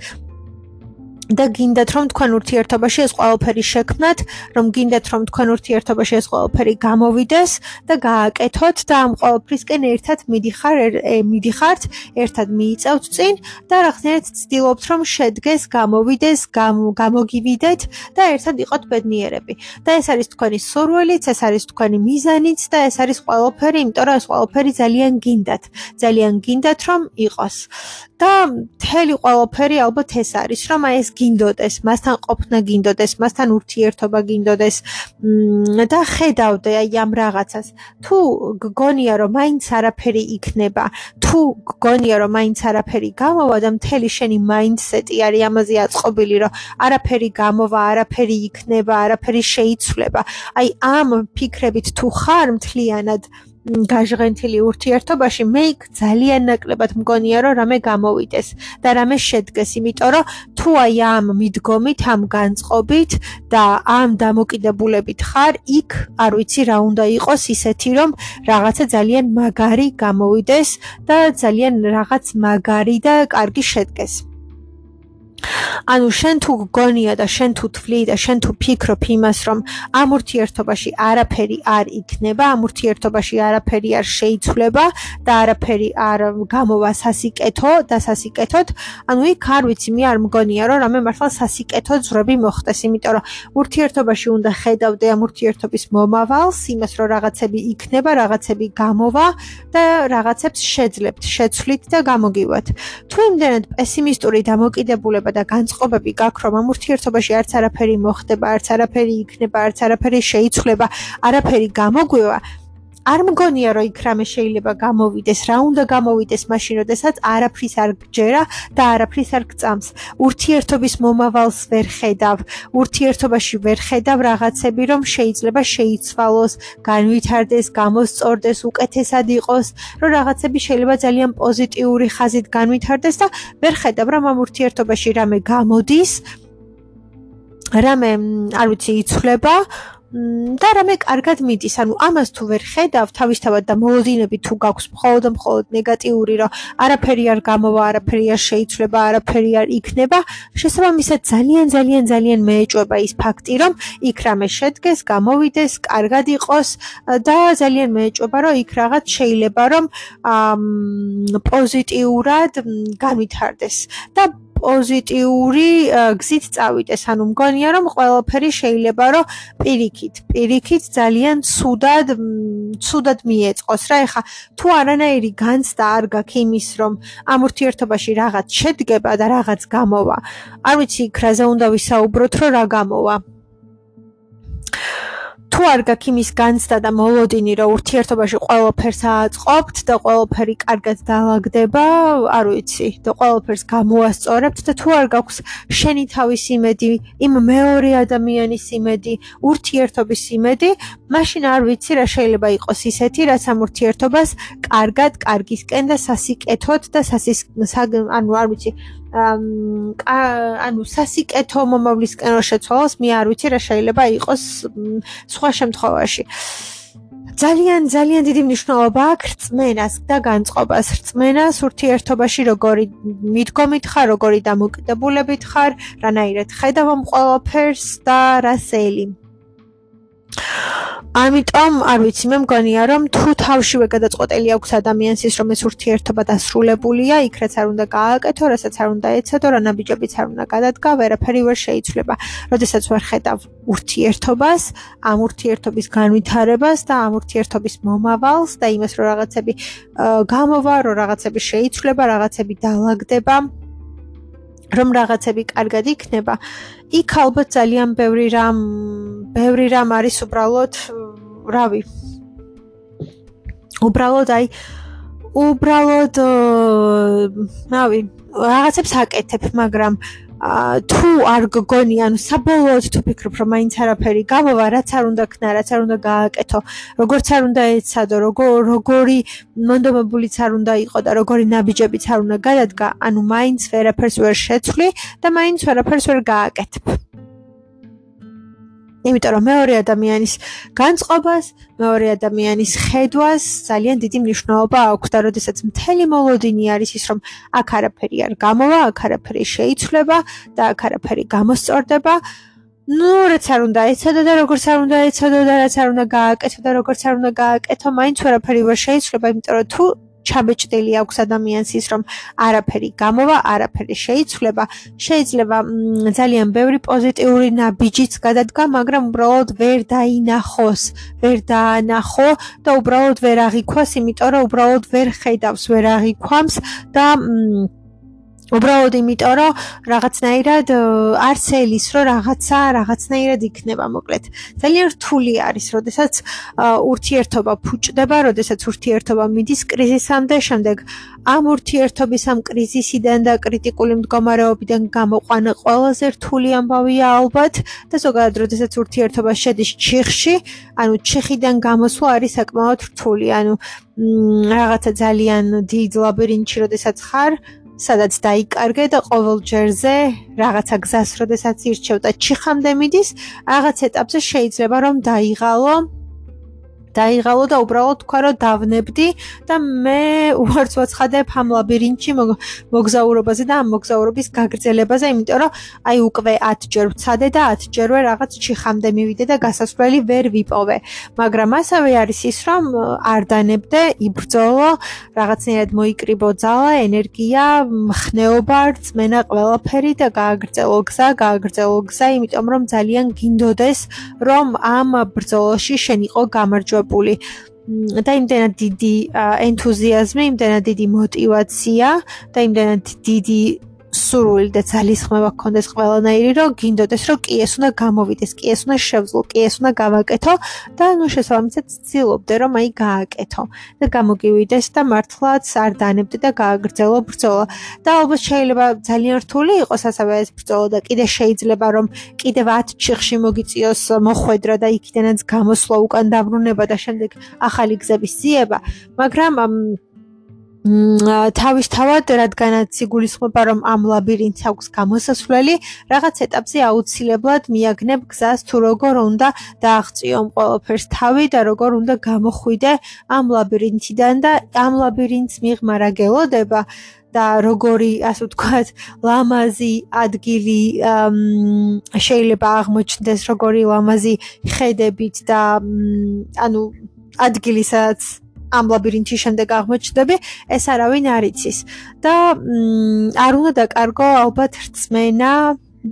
და გინდათ რომ თქვენ ურთიერთობაში ეს ყველაფერი შექმნათ, რომ გინდათ რომ თქვენ ურთიერთობაში ეს ყველაფერი გამოვიდეს და გააკეთოთ და ამ ყველაფრისკენ ერთად მიდიხართ, ერთად მიიწევთ წინ და რაღაცნაირად ცდილობთ რომ შედგეს, გამოვიდეს, გამოგივიდეთ და ერთად იყოთ ბედნიერები. და ეს არის თქვენი სურვილიც, ეს არის თქვენი მიზანიც და ეს არის ყველაფერი, იმიტომ რომ ეს ყველაფერი ძალიან გინდათ რომ იყოს. და მთელი ყველაფერი ალბათ ეს არის, რომ აი ეს გინდოდეს, მასთან ყოფნა გინდოდეს, მასთან ურთიერთობა გინდოდეს და ხედავდე აი ამ რაღაცას. თუ გგონია რომ მაინც არაფერი იქნება, თუ გგონია რომ მაინც არაფერი გამოვა და მთელი შენი მაინდსეტი არის ამაზე აწყობილი, რომ არაფერი გამოვა, არაფერი იქნება, არაფერი შეიცვლება. აი ამ ფიქრებით თუ ხარ მთლიანად გაჟღენთილი ურთიერთობაში, მე იქ ძალიან ნაკლებად მგონია რომ რამე გამოვიდეს და რამე შედგეს, იმიტომ რომ თუ აი ამ მიდგომით, ამ განწყობით და ამ დამოკიდებულებით ხარ, იქ არ ვიცი რა უნდა იყოს ისეთი, რომ რაღაცა ძალიან მაგარი გამოვიდეს და ძალიან რაღაც მაგარი და კარგი შედგეს. ანუ შენ თუ გგონია და შენ თუ თვლი და შენ თუ ფიქრობ იმას, რომ ამ ურთიერთობაში არაფერი არ იქნება, ამ ურთიერთობაში არაფერი არ შეიცვლება და არაფერი არ გამოვა სასიკეთო და სასიკეთოდ, ანუ იქ არ ვიცი, მე არ მგონია, რომ რამე მართლა სასიკეთო ძვრები მოხდეს, იმიტომ რომ ურთიერთობაში უნდა ხედავდე ამ ურთიერთობის მომავალს, იმას, რომ რაღაცები იქნება, რაღაცები გამოვა და რაღაცებს შეძლებთ, შეცვლით და გამოგივათ. თუ იმდენად პესიმისტური დამოკიდებულება და განწყობები გაქვს, რომ ამ ურთიერთობაში არც არაფერი მოხდება, არც არაფერი იქნება, არც არაფერი შეიცვლება, არაფერი გამოგვივა, არ მგონია, რომ იქ რამე შეიძლება გამოვიდეს, რა უნდა გამოვიდეს მაშინ, როდესაც არაფრის არ გჯერა და არაფრის არ გწამს. ურთიერთობის მომავალს ვერ ხედავ, ურთიერთობაში ვერ ხედავ რაღაცები, რომ შეიძლება შეიცვალოს, განვითარდეს, გამოსწორდეს, უკეთესად იყოს, რომ რაღაცები შეიძლება ძალიან პოზიტიური ხაზით განვითარდეს და ვერ ხედავ, რომ ამ ურთიერთობაში რამე გამოდის, რამე, არ ვიცი, იცვლება და რამე კარგად მიდის. ანუ ამას თუ ვერ ხედავ თავისთავად და მოლოდინები თუ გაქვს მხოლოდ ნეგატიური, რომ არაფერი არ გამოვა, არაფერი არ შეიცვლება, არაფერი არ იქნება, შესაბამისად ძალიან მეეჭვება ის ფაქტი, რომ იქ რამე შედგეს, გამოვიდეს, კარგად იყოს და ძალიან მეეჭვება, რომ იქ რაღაც შეიძლება რომ პოზიტიურად განვითარდეს და პოზიტიური გზით წავიდეს. ანუ მგონია, რომ ყველაფერი შეიძლება რომ პირიქით ძალიან ცუდად მიეწყოს რა. ეხა თუ არანაირი განცდა არ გაქვს იმის, რომ ამ ურთიერთობაში რაღაც შედგება და რაღაც გამოვა, არ ვიცი იქ რაზე უნდა ვისაუბროთ, რომ რა გამოვა. თუ არ გაქვს იმის განცდა და მოლოდინი, რომ ურთიერთობაში ყველაფერს აწყობთ და ყველაფერი კარგად დაალაგდება, არ ვიცი, და ყველაფერს გამოასწორებთ და თუ არ გაქვს შენი თავის იმედი, იმ მეორე ადამიანის იმედი, ურთიერთობის იმედი, მაშინ არ ვიცი რა შეიძლება იყოს ისეთი, რაც ამ ურთიერთობას კარგად, კარგისკენ და სასიკეთოდ და ანუ არ ვიცი, ანუ სასიკეთო მომავლისკენ რო შეცვალოს, მე არ ვიცი რა შეიძლება იყოს სხვა შემთხვევაში. ძალიან დიდი მნიშვნელობა აქვს რწმენას და განწყობას. რწმენას ურთიერთობაში როგორი მიდგომით ხარ, როგორი დამოკიდებულებით ხარ, რანაირად ხედავ ამ ყველაფერს და რას ელი. ამიტომ არ ვიცი, მე მგონია, რომ თუ თავშივე გადაწყვეტილი აქვს ადამიანს ის, რომ ეს ურთიერთობა დასრულებულია, იქ რაც არ უნდა გააკეთო, რასაც არ უნდა ეცადო, რა ნაბიჯებიც არ უნდა გადადგა, ვერაფერი ვერ შეიცვლება. როდესაც ვერ ხედავ ურთიერთობას, ამ ურთიერთობის განვითარებას და ამ ურთიერთობის მომავალს და იმას, რომ რაღაცები გამოვა, რომ რაღაცები შეიცვლება, რაღაცები დაალაგდება, რომ რაღაცები კარგად იქნება, იქ ალბათ ძალიან ბევრი რამ არის უბრალოდ, რავი. უბრალოდ რავი, რაღაცებს აკეთებ, მაგრამ თუ არ გგონი, ანუ საბოლოოდ თუ ფიქრობ, რომ მაინც არაფერი გამოვა, რაც არ უნდა ქნა, რაც არ უნდა გააკეთო, როგორც არ უნდა ეცადო, როგორი მონდომებულიც არ უნდა იყო და როგორი ნაბიჯებიც არ უნდა გადადგა, ანუ მაინც ვერაფერს ვერ შეცვლი და მაინც ვერაფერს ვერ გააკეთებ. იმიტომ რომ მეორე ადამიანის განწყობას, მეორე ადამიანის ხედვას ძალიან დიდი მნიშვნელობა აქვს და როდესაც მთელი მოლოდინი არის ის, რომ აქ არაფერი არ გამოვა, აქ არაფერი შეიცვლება და აქ არაფერი გამოსწორდება, რაც არ უნდა ეცადო და როგორც არ უნდა ეცადო და რაც არ უნდა გააკეთო და როგორც არ უნდა გააკეთო, მაინც ვერაფერი ვერ შეიცვლება, იმიტომ რომ თუ ჩაბეჭდილი აქვს ადამიანს ის, რომ არაფერი გამოვა, არაფერი შეიცვლება, შეიძლება ძალიან ბევრი პოზიტიური ნაბიჯიც გადადგა, მაგრამ უბრალოდ ვერ დაანახო და უბრალოდ ვერ აღიქვას, იმიტომ რომ უბრალოდ ვერ ხედავს, ვერ აღიქვამს და უბრალოდ იმიტომ რომ რაღაცნაირად არც ელის რომ რაღაცნაირად იქნება მოკლედ ძალიან რთული არის როდესაც ურთიერთობა ფუჭდება როდესაც ურთიერთობა მიდის კრიზისამდე შემდეგ ამ ურთიერთობის ამ კრიზისიდან და კრიტიკული მდგომარეობიდან გამოყვანა ყველაზე რთული ამბავია ალბათ და ზოგადად როდესაც ურთიერთობა შედის ჩიხში ანუ ჩიხიდან გამოსვლა არის საკმაოდ რთული ანუ რაღაცა ძალიან დიდ ლაბირინთში როდესაც ხარ სადაც დაიკარგე და ყოველ ჯერზე რაღაცა გზას როდესაც ირჩევ და ჩიხამდე მიდის რაღაც ეტაპზე შეიძლება რომ დაიღალო და უბრალოდ თქვა რომ დავნებდი და მე უარს ვაცხადებ ამ ლაბირინთში მოგზაურობაზე და ამ მოგზაურობის გაგრძელებაზე, იმიტომ რომ აი უკვე 10 ჯერ ვცადე და 10 ჯერვე რაღაც ჩიხამდე მივიდე და გასასვლელი ვერ ვიპოვე. მაგრამ ასევე არის ის რომ არ დანებდე, იბრძოლო, რაღაცნაირად მოიკრიბო ძალა, ენერგია, მხნეობა, რწმენა, ყველაფერი და გააგრძელო გზა, იმიტომ რომ ძალიან გინდოდეს რომ ამ ბრძოლაში შენ იყო გამარჯვებული. და იმდენად დიდი ენთუზიაზმი, იმდენად დიდი мотиваცია და იმდენად დიდი სურვილი და ძალისხმევა გქონდეს ყველანაირი, რომ გინდოდეს, რომ კი ეს უნდა გამოვიდეს, კი ეს უნდა შევძლო, კი ეს უნდა გავაკეთო და ნუ შესაბამისად ცდილობდე, რომ აი გააკეთო და გამოგივიდეს და მართლაც არ დანებდე და გააგრძელო ბრძოლა. და ალბათ შეიძლება ძალიან რთული იყოს ასევე ეს ბრძოლა და კიდე შეიძლება რომ კიდევ 10 ჩიხში მოგიწიოს მოხვედრა და იქიდანაც გამოსვლა უკან დაბრუნება და შემდეგ ახალი გზების ძიება, მაგრამ თავისთავად, რადგანაც იგულისხმება, რომ ამ ლაბირინთს აქვს გამოსასვლელი, რაღაც ეტაპზე აუცილებლად მიაგნებ გზას თუ როგორ უნდა დააღწიომ ყველაფერს თავი და როგორ უნდა გამოხვიდე ამ ლაბირინთიდან და ამ ლაბირინთს მიღმა რა გელოდება და როგორი, ასე ვთქვათ, ლამაზი ადგილი შეიძლება აღმოჩნდეს, როგორი ლამაზი ხედებით და ანუ ადგილი, სადაც ამ ლაბირინთში შემდეგ აღმოჩნდები, ეს არავინ არ იცის. და არ უნდა დაკარგო ალბათ რწმენა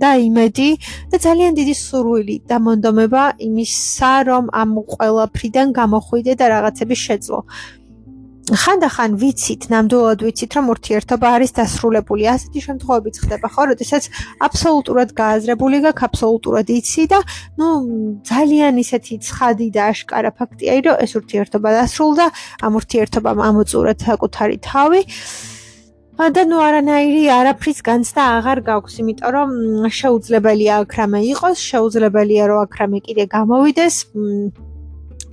და იმედი და ძალიან დიდი სურვილი და მონდომება იმისა, რომ ამ ყველაფრიდან გამოხვიდე და რაღაცები შეძლო. ხანდახან ვიცით, ნამდვილად ვიცით, რომ ურთიერთობა არის დასრულებული. ასეთი შემთხვევებიც ხდება, ხო, როდესაც აბსოლუტურად გააზრებული გაქვს, აბსოლუტურად იცი და ნუ ძალიან ისეთი ცხადი და აშკარა ფაქტია, რომ ეს ურთიერთობა დასრულდა, ამ ურთიერთობამ ამოწურა საკუთარი თავი. და ნუ არანაირი არაფრის განცდა აღარ გაქვს, იმიტომ რომ შეუძლებელია აქ რამე იყოს, შეუძლებელია რომ აქ რამე კიდე გამოვიდეს.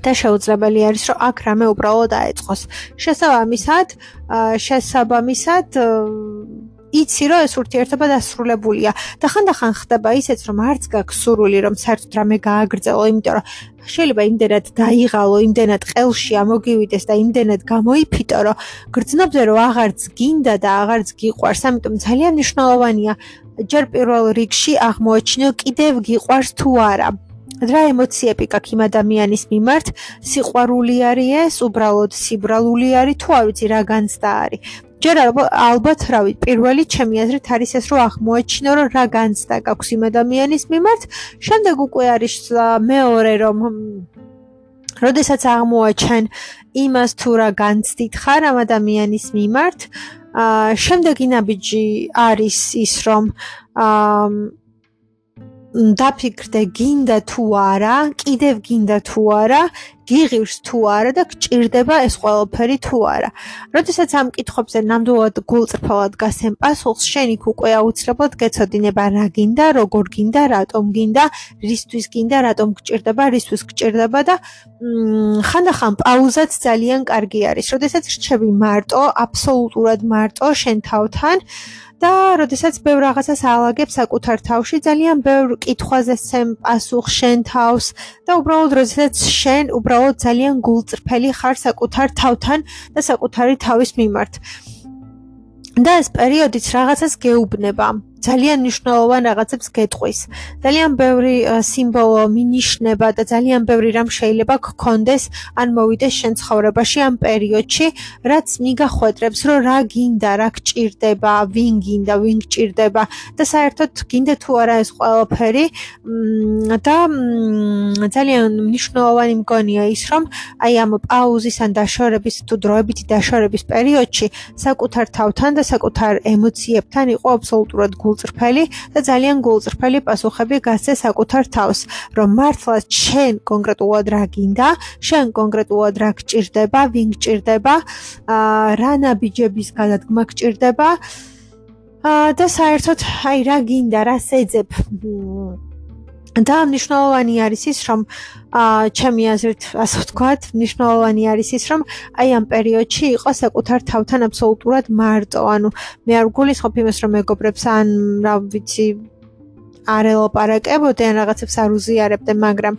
და შეუძლებელი არის, რომ აქ რამე უბრალოდ აეწყოს. შესაბამისად, იცი, რომ ეს ურთიერთობა დასრულებულია და ხანდახან ხდება ისეც, რომ არც გაქვს სურვილი, რომ საერთოდ რამე გააგრძელო, იმიტომ რომ შეიძლება იმდენად დაიღალო, იმდენად ყელში ამოგივიდეს და იმდენად გამოიფიტო, რომ გრძნობდე, რომ აღარც გინდა და აღარც გიყვარს, ამიტომ ძალიან მნიშვნელოვანია ჯერ პირველ რიგში აღმოაჩინო, კიდევ გიყვარს თუ არა. რა ემოციები გაქვს იმ ადამიანის მიმართ, სიყვარული არის ეს, უბრალოდ სიბრალული არის თუ არ ვიცი რა განცდა არის. ჯერ ალბათ, რავი, პირველი ჩემი აზრით არის ეს, რომ აღმოაჩინო, რომ რა განცდა გაქვს იმ ადამიანის მიმართ, შემდეგ უკვე არის მეორე, რომ როდესაც აღმოაჩენ იმას თუ რა განცდით ხარ ამ ადამიანის მიმართ, შემდეგი ნაბიჯი არის ის, რომ დაფიქრდე გინდა თუ არა, კიდევ გინდა თუ არა, გიღირს თუ არა და გჭირდება ეს ყველაფერი თუ არა. როდესაც ამ კითხვებზე ნამდვილად გულწრფელად გასცემ პასუხს, შენ იქ უკვე აუცილებლად გეცოდინება რა გინდა, როგორ გინდა, რატომ გინდა, რისთვის გინდა, რატომ გჭირდება, რისთვის გჭირდება და ხანდახან პაუზაც ძალიან კარგი არის. როდესაც რჩები მარტო, აბსოლუტურად მარტო შენ თავთან და როდესაც ბევრ რაღაცას ალაგებ საკუთარ თავში, ძალიან ბევრ კითხვაზე სცემ პასუხს შენ თავს და უბრალოდ როდესაც შენ უბრალოდ ძალიან გულწრფელი ხარ საკუთარ თავთან და საკუთარი თავის მიმართ. და ეს პერიოდიც რაღაცას გეუბნება. ძალიან მნიშვნელოვან რაღაცებს გეტყვის. ძალიან ბევრი სიმბოლო, მინიშნება და ძალიან ბევრი რამ შეიძლება გქონდეს ან მოვიდეს შენ ცხოვრებაში ამ პერიოდში, რაც მიგახვედრებს, რომ რა გინდა, რა გჭირდება, ვინ გინდა, ვინ გჭირდება და საერთოდ გინდა თუ არა ეს ყველაფერი და ძალიან მნიშვნელოვანი მგონია ის, რომ აი ამ პაუზის ან დაშორების თუ დროებითი დაშორების პერიოდში საკუთარ თავთან და საკუთარ ემოციებთან იყო აბსოლუტურად გულწრფელი და ძალიან გულწრფელი პასუხები გასცე საკუთარ თავს, რომ მართლა შენ კონკრეტულად რა გინდა, შენ კონკრეტულად რა გჭირდება, ვინ გჭირდება, რა ნაბიჯების გადადგმა გჭირდება და საერთოდ აი რა გინდა, რა შეძებ. და მნიშვნელოვანი არის ის, რომ ჩემი აზრით, ასე ვთქვათ, მნიშვნელოვანი არის ის, რომ აი ამ პერიოდში იყო საკუთარ თავთან აბსოლუტურად მარტო. ანუ მე არ გულისხმობ იმას, რომ მეგობრებს ან რა ვიცი არ ელაპარაკებოდე ან რაღაცებს არ უზიარებდე, მაგრამ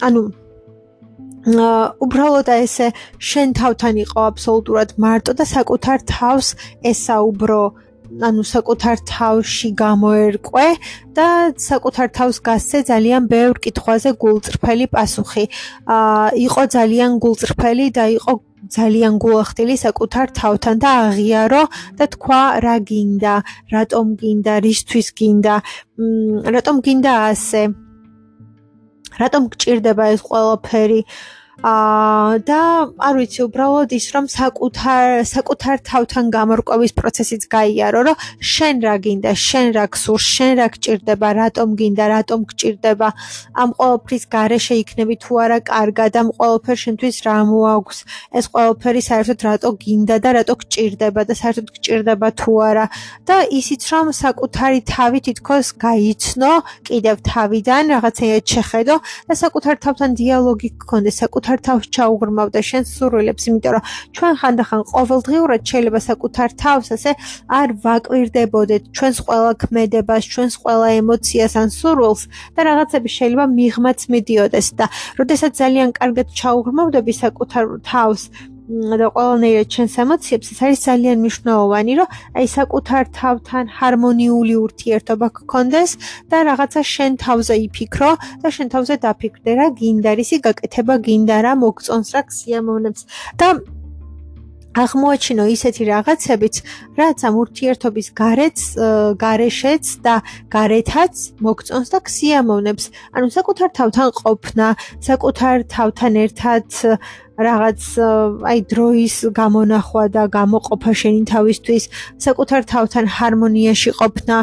ანუ უბრალოდ ესე შენ თავთან იყო აბსოლუტურად მარტო და საკუთარ თავს ესაუბრო, ანუ საკუთარ თავში გამოერკვე და საკუთარ თავს გასცე ძალიან ბევრ კითხვაზე გულწრფელი პასუხი. იყო ძალიან გულწრფელი და იყო ძალიან გულახდილი საკუთარ თავთან და აღიარო და თქვა რა გინდა, რატომ გინდა, რისთვის გინდა, რატომ გინდა ასე, რატომ გჭირდება ეს ყველაფერი. და არ ვიცი, უბრალოდ ის, რომ საკუთარ თავთან გამორკვევის პროცესიც გაიარო, რომ შენ რა გინდა, შენ რა გსურს, შენ რა გჭირდება, რატომ გინდა, რატომ გჭირდება, ამ ყველაფრის გარეშე იქნები თუ არა კარგად, ამ ყველაფერს შენთვის რა მოაქვს, ეს ყველაფერი საერთოდ რატო გინდა და რატო გჭირდება და საერთოდ გჭირდება თუ არა და ისიც, რომ საკუთარი თავი თითქოს გაიცნო, კიდევ თავიდან რაღაცეად შეხედო და საკუთარ თავთან დიალოგი გქონდეს, საკუთარ თავს ჩაუღრმავდა შენ სურვილებს, იმიტომ რომ ჩვენ ხანდახან ყოველდღიურად შეიძლება საკუთარ თავს ასე არ ვაკვირდებოდეთ ჩვენს ყველა ქმედებას, ჩვენს ყველა ემოციას ან სურვილს და რაღაცები შეიძლება მიღმაც მიდიოდეს და როდესაც ძალიან კარგად ჩაუღრმავდები საკუთარ თავს და ყველანაირად ჩვენს ემოციებს, ეს არის ძალიან მნიშვნელოვანი, რომ აი საკუთარ თავთან ჰარმონიული ურთიერთობა გქონდეს და რაღაცა შენ თავზე იფიქრო და შენ თავზე დაფიქრდე, რა გინდა, რისი გაკეთება გინდა, რა მოგწონს, რა გსიამოვნებს და აღმოაჩინო ისეთი რაღაცებიც, რაც ამ ურთიერთობის გარეშეც და გარეთაც მოგწონს და გსიამოვნებს. ანუ საკუთარ თავთან ყოფნა, საკუთარ თავთან ერთად რაღაც აი დროის გამონახვა და გამოყოფა შენი თავისთვის, საკუთარ თავთან ჰარმონიაში ყოფნა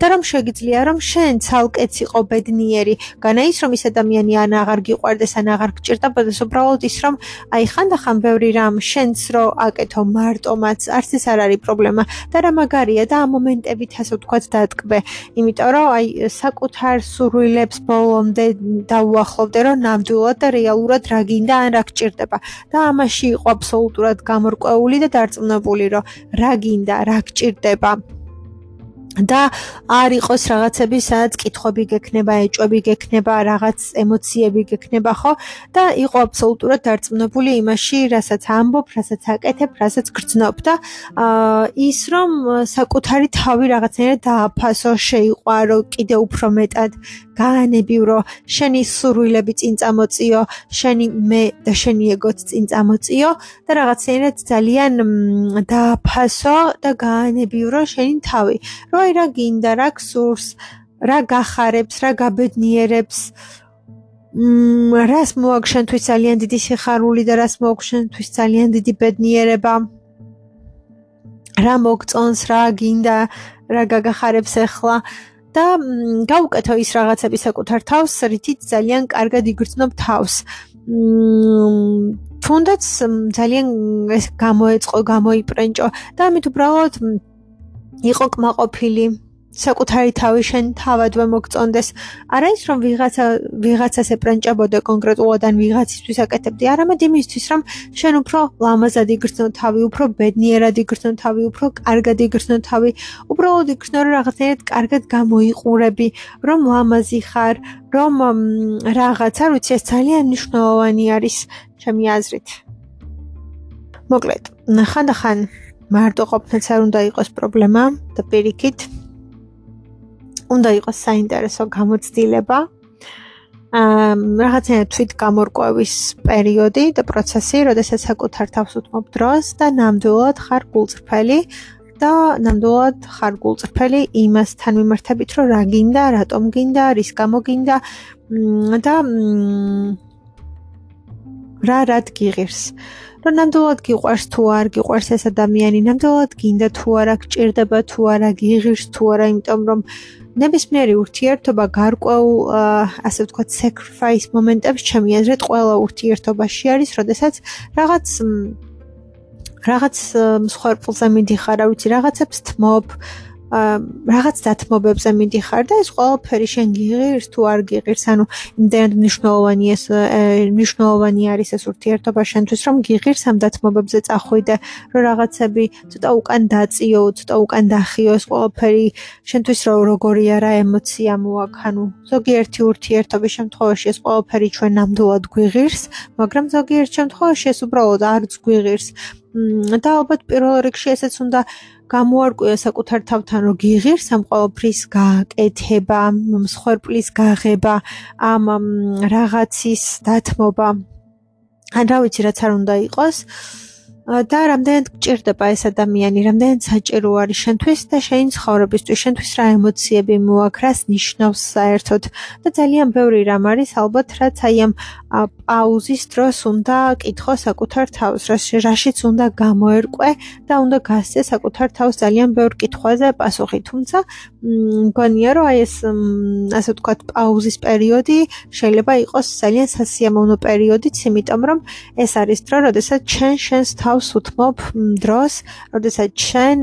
და რომ შეგიძლია რომ შენ ცალკეც იყო ბედნიერი, განა ის რომ ის ადამიანი ან აღარ გიყვარდეს ან აღარ გჭირდებოდეს, უბრალოდ ის რომ აი ხანდახან ბევრი რამ შენც რო აკეთო მარტომაც, არც ეს არ არის პრობლემა და რა მაგარია და ამ მომენტებით ასე ვთქვათ დატკბე, იმიტომ რომ აი საკუთარ სურვილებს ბოლომდე დაუახლოვდე რომ ნამდვილად და რეალურად რა გინდა ან რა გჭირდება და ამაში იყო აბსოლუტურად გამორკვეული და დარწმუნებული რომ რა გინდა, რა გჭირდება და არ იყოს რაღაცები, სადაც კითხვები გექნება, ეჭვები გექნება, რაღაც ემოციები გექნება, ხო? და იყო აბსოლუტურად დარწმუნებული იმაში, რასაც ამბობ, რასაც აკეთებ, რასაც გრძნობ და ის რომ საკუთარი თავი რაღაცნაირად დააფასო, შეიყვარო კიდე უფრო მეტად, გაანებივრო, შენი სურვილები წინ წამოწიო, შენი მე და შენი ეგოც წინ წამოწიო და რაღაცნაირად ძალიან დააფასო და გაანებივრო შენი თავი. აი რა გინდა, რა გსურს, რა გახარებს, რა გაბედნიერებს, რას მოაქვს შენთვის ძალიან დიდი სიხარული და რას მოაქვს შენთვის ძალიან დიდი ბედნიერება, რა მოგწონს, რა გინდა, რა გაგახარებს ახლა და გაუკეთო ის რაღაცები საკუთარ თავს, რითიც ძალიან კარგად იგრძნობ თავს. თუნდაც ძალიან გამოეწყო, გამოიპრენჭო და ამით უბრალოდ იყო კმაყოფილი, საკუთარი თავი შენ თავადვე მოგწონდეს. არა ის რომ ვიღაცას ეპრენჭებოდე კონკრეტულად ან ვიღაცისთვის აკეთებდი, არამედ იმისთვის რომ შენ უფრო ლამაზად იგრძნო თავი, უფრო ბედნიერად იგრძნო თავი, უფრო კარგად იგრძნო თავი, უბრალოდ იგრძნო რომ რაღაცნაირად კარგად გამოიყურები, რომ ლამაზი ხარ, რომ რაღაცა, ვიცი, ეს ძალიან მნიშვნელოვანი არის ჩემი აზრით. მოკლედ, ხანდახან მარტო ყოფნაც არ უნდა იყოს პრობლემა და პირიქით უნდა იყოს საინტერესო გამოცდილება. რაღაცა თვით გამორკვევის პერიოდი და პროცესი, როდესაც საკუთარ თავს უთმობ დროს და ნამდვილად ხარ გულწრფელი და ნამდვილად ხარ გულწრფელი იმასთან მიმართებით, რომ რა გინდა, რატომ გინდა, რის გამო გინდა და რა გიღირს. რომ ნამდვილად გიყვარს თუ არ გიყვარს ეს ადამიანი, ნამდვილად გინდა თუ არა, გჭირდება თუ არა, გიღირს თუ არა, იმიტომ რომ ნებისმიერი ურთიერთობა გარკვეულ, ასე ვთქვათ, sacrifice მომენტებს ჩემი აზრით ყველა ურთიერთობაში არის, როდესაც რაღაც მსხვერპლზე მიდიხარ, რა ვიცი, რაღაცებს თმობ, რაღაც დათმობებზე მიდიხარ და ეს ყველაფერი შენ გიღირს თუ არ გიღირს, ანუ იმდენად მნიშვნელოვანი არის ეს ურთიერთობა შენთვის, რომ გიღირს ამ დათმობებზე წახვიდე, რომ რაღაცები ცოტა უკან დაწიო, ცოტა უკან დახიო, ეს ყველაფერი შენთვის როგორი არა ემოცია მოაქვს, ანუ ზოგიერთი ურთიერთობის შემთხვევაში ეს ყველაფერი ჩვენ ნამდვილად გვიღირს, მაგრამ ზოგიერთ შემთხვევაში ეს უბრალოდ არც გვიღირს. და ალბათ პირველ რიგში ესეც უნდა გამოარკვია საკუთარ თავთან, რომ გიღირს ამ ყველაფრის გაკეთება, მსხვერპლის გაღება, ამ რაღაცის დათმობა. ან რა ვიცი, რაც არ უნდა იყოს. და რამდენად გჭირდება ეს ადამიანი, რამდენად საჭირო არის შენთვის და შენი ცხოვრებისთვის, შენთვის რა ემოციები მოაქვს, რას ნიშნავს საერთოდ და ძალიან ბევრი რამ არის ალბათ, რაც აი ამ პაუზის დროს უნდა კითხო საკუთარ თავს, რაშიც უნდა გამოერკვე და უნდა გასცე საკუთარ თავს ძალიან ბევრ კითხვაზე პასუხი, თუმცა მგონია, რომ აი ეს ასე ვთქვათ, პაუზის პერიოდი შეიძლება იყოს ძალიან სასიამოვნო პერიოდიც, იმიტომ რომ ეს არის დრო, როდესაც შენს თავს უთმობ დროს, როდესაც შენ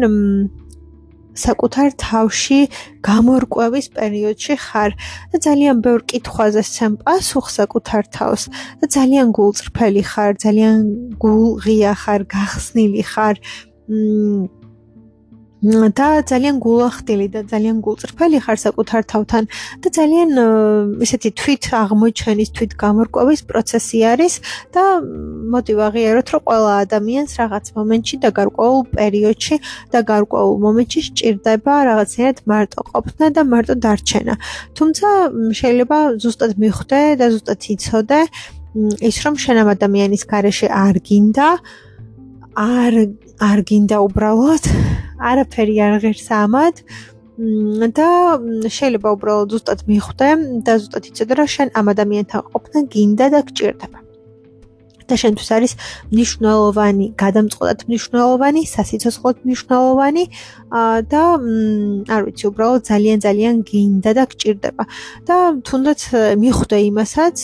საკუთარ თავში გამორკვევის პერიოდში ხარ და ძალიან ბევრ კითხვაზე სცემ პასუხს საკუთარ თავს და ძალიან გულწრფელი ხარ, ძალიან გულღია ხარ, გახსნილი ხარ და ძალიან გულახდილი და ძალიან გულწრფელი ხარ საკუთარ თავთან და ძალიან ესეთი თვით აღმოჩენის, თვით გამორკვევის პროცესი არის და მოდი ვაღიაროთ, რომ ყველა ადამიანს რაღაც მომენტში და გარკვეულ პერიოდში და გარკვეულ მომენტში სჭირდება რაღაცნაირად მარტო ყოფნა და მარტო დარჩენა. თუმცა შეიძლება ზუსტად მიხვდე და ზუსტად იცოდე ის, რომ შენ ამ ადამიანის გარეშე არ გინდა უბრალოდ არაფერი არ ღირს ამად და შეიძლება უბრალოდ ზუსტად მიხვდე და ზუსტად იცოდე, რომ შენ ამ ადამიანთან ყოფნა გინდა და გჭირდება. და შენთვის არის მნიშვნელოვანი, გადამწყვეტად მნიშვნელოვანი, სასიცოცხლოდ მნიშვნელოვანი და არ ვიცი, უბრალოდ ძალიან გინდა და გჭირდება. და თუნდაც მიხვდე იმასაც,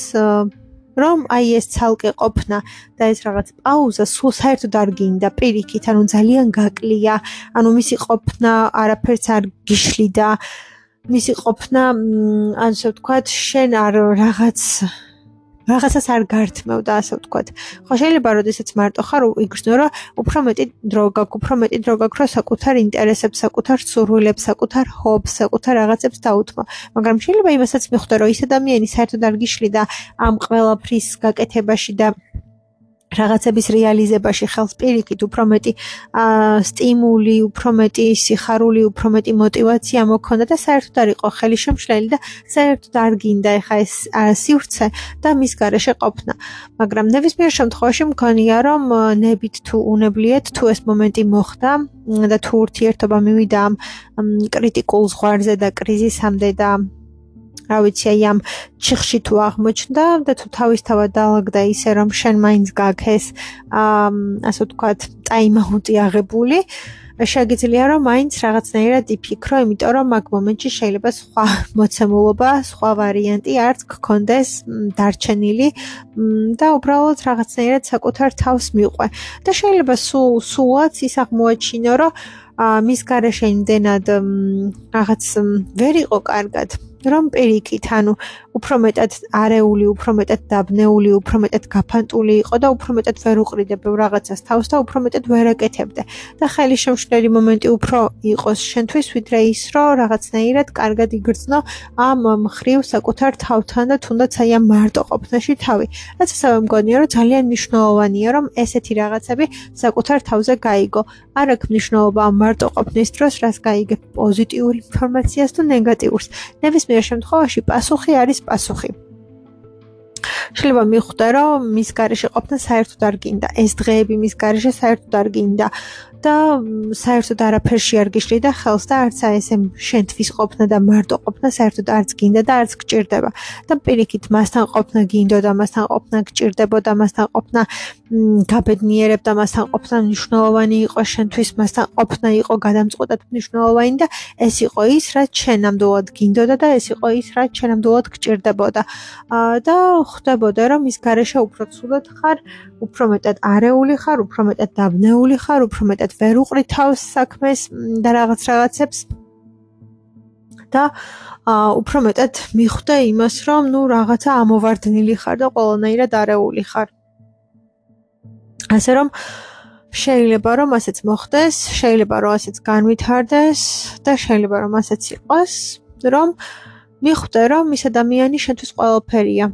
რომ აი ეს ცალკე ყოფნა და ეს რაღაც პაუზა სულ საერთოდ არ გინდა, პირიქით, ანუ ძალიან გაკლია, ანუ მისი ყოფნა არაფერს არ გიშლიდა, მისი ყოფნა, ასე ვთქვათ, შენ არ რაღაცას არ გართმევდა, ასე ვთქვათ. ხო, შეიძლება როდესაც მარტო ხარ, იგრძნო, რომ უფრო მეტი დრო გაქვს, რომ საკუთარ ინტერესებს, საკუთარ სურვილებს, საკუთარ ჰობს, საკუთარ რაღაცებს დაუთმო. მაგრამ შეიძლება იმასაც მიხვდე, რომ ის ადამიანი საერთოდ არ გიშლიდა ამ ყველაფრის გაკეთებაში და რაღაცების რეალიზებაში ხელს პირიქით, უფრო მეტი სტიმული, უფრო მეტი სიხარული, უფრო მეტი мотиваცია მოქონდა და საერთოდ არ იყო ხელი შემშლელი და საერთოდ არ გინდა ეხა ეს სივრცე და მის გარეშე ყოფნა. მაგრამ ნებისმიერ შემთხვევაში მგონია, რომ ნებით თუ უნებლიეთ, თუ ეს მომენტი მოხდა და თუ ურთიერთობა მივიდა ამ კრიტიკულ ზღვარზე და კრიზისამდე და რა ვიცი, აი ამ ჩიხში თუ აღმოჩნდა და თუ თავისთავად დაალაგდა ისე, რომ შენ მაინც გაქვს ეს ასე ვთქვათ, ტაიმაუტი აღებული, შეგიძლია რომ მაინც რაღაცნაირად იფიქრო, იმიტომ რომ მაგ მომენტში შეიძლება სხვა მოცემულობა, სხვა ვარიანტი არც გქონდეს დარჩენილი და უბრალოდ რაღაცნაირად საკუთარ თავს მიყვე. და შეიძლება სულაც ის აღმოაჩინო, რომ მის გარეშე იმდენად რაღაც ვერ იყო კარგად. რომ პირიქით, ანუ უფრო მეტად არეული, უფრო მეტად დაბნეული, უფრო მეტად გაფანტული იყო და უფრო მეტად ვერ უყრიდებო რაღაცას თავს და უფრო მეტად ვერ აკეთებდე. და ხელი შემშლელი მომენტი უფრო იყოს შენთვის, ვიდრე ის, რომ რაღაცნაირად კარგად იგრძნო ამ მხრივ საკუთარ თავთან და თუნდაც აი ამ მარტო ყოფნაში თავი. რაც ასევე მგონია, რომ ძალიან მნიშვნელოვანია, რომ ესეთი რაღაცები საკუთარ თავზე გაიგო. არ აქვს მნიშვნელობა ამ მარტო ყოფნის დროს, რას გაიგებ, პოზიტიურ ინფორმაციას თუ ნეგატიურს. ნებისმიერ შემთხვევაში პასუხი არის პასუხი. შეიძლება მიხვდე, რომ მის გარეშე ყოფნა საერთოდ არ გინდა, ეს დღეები მის გარეშე საერთოდ არ გინდა და საერთოდ არაფერში არ გიშლიდა ხელს და არც ესე შენთვის ყოფნა და მარტო ყოფნა საერთოდ არც გინდა და არც გჭირდება. და პირიქით, მასთან ყოფნა გინდოდა, მასთან ყოფნა გჭირდებოდა, მასთან ყოფნა გაბედნიერებდა, მასთან ყოფნა მნიშვნელოვანი იყო შენთვის, მასთან ყოფნა იყო გადამწყვეტად მნიშვნელოვანი და ეს იყო ის, რაც შენ ნამდვილად გინდოდა და ეს იყო ის, რაც შენ ნამდვილად გჭირდებოდა. და ხვდებოდა, რომ ის გარეშე უფრო ცუდად ხარ, უფრო მეტად არეული ხარ, უფრო მეტად დაბნეული ხარ, უფრო მეტად ვერ უყრი თავს საქმეს და რაღაცებს და უფრო მეტად მიხვდე იმას, რომ რაღაცა ამოვარდნილი ხარ და ყველანაირად არეული ხარ. ასე რომ შეიძლება რომ ასეც მოხდეს, შეიძლება რომ ასეც განვითარდეს და შეიძლება რომ ასეც იყოს, რომ მიხვდე, რომ ის ადამიანი შენთვის ყველაფერია.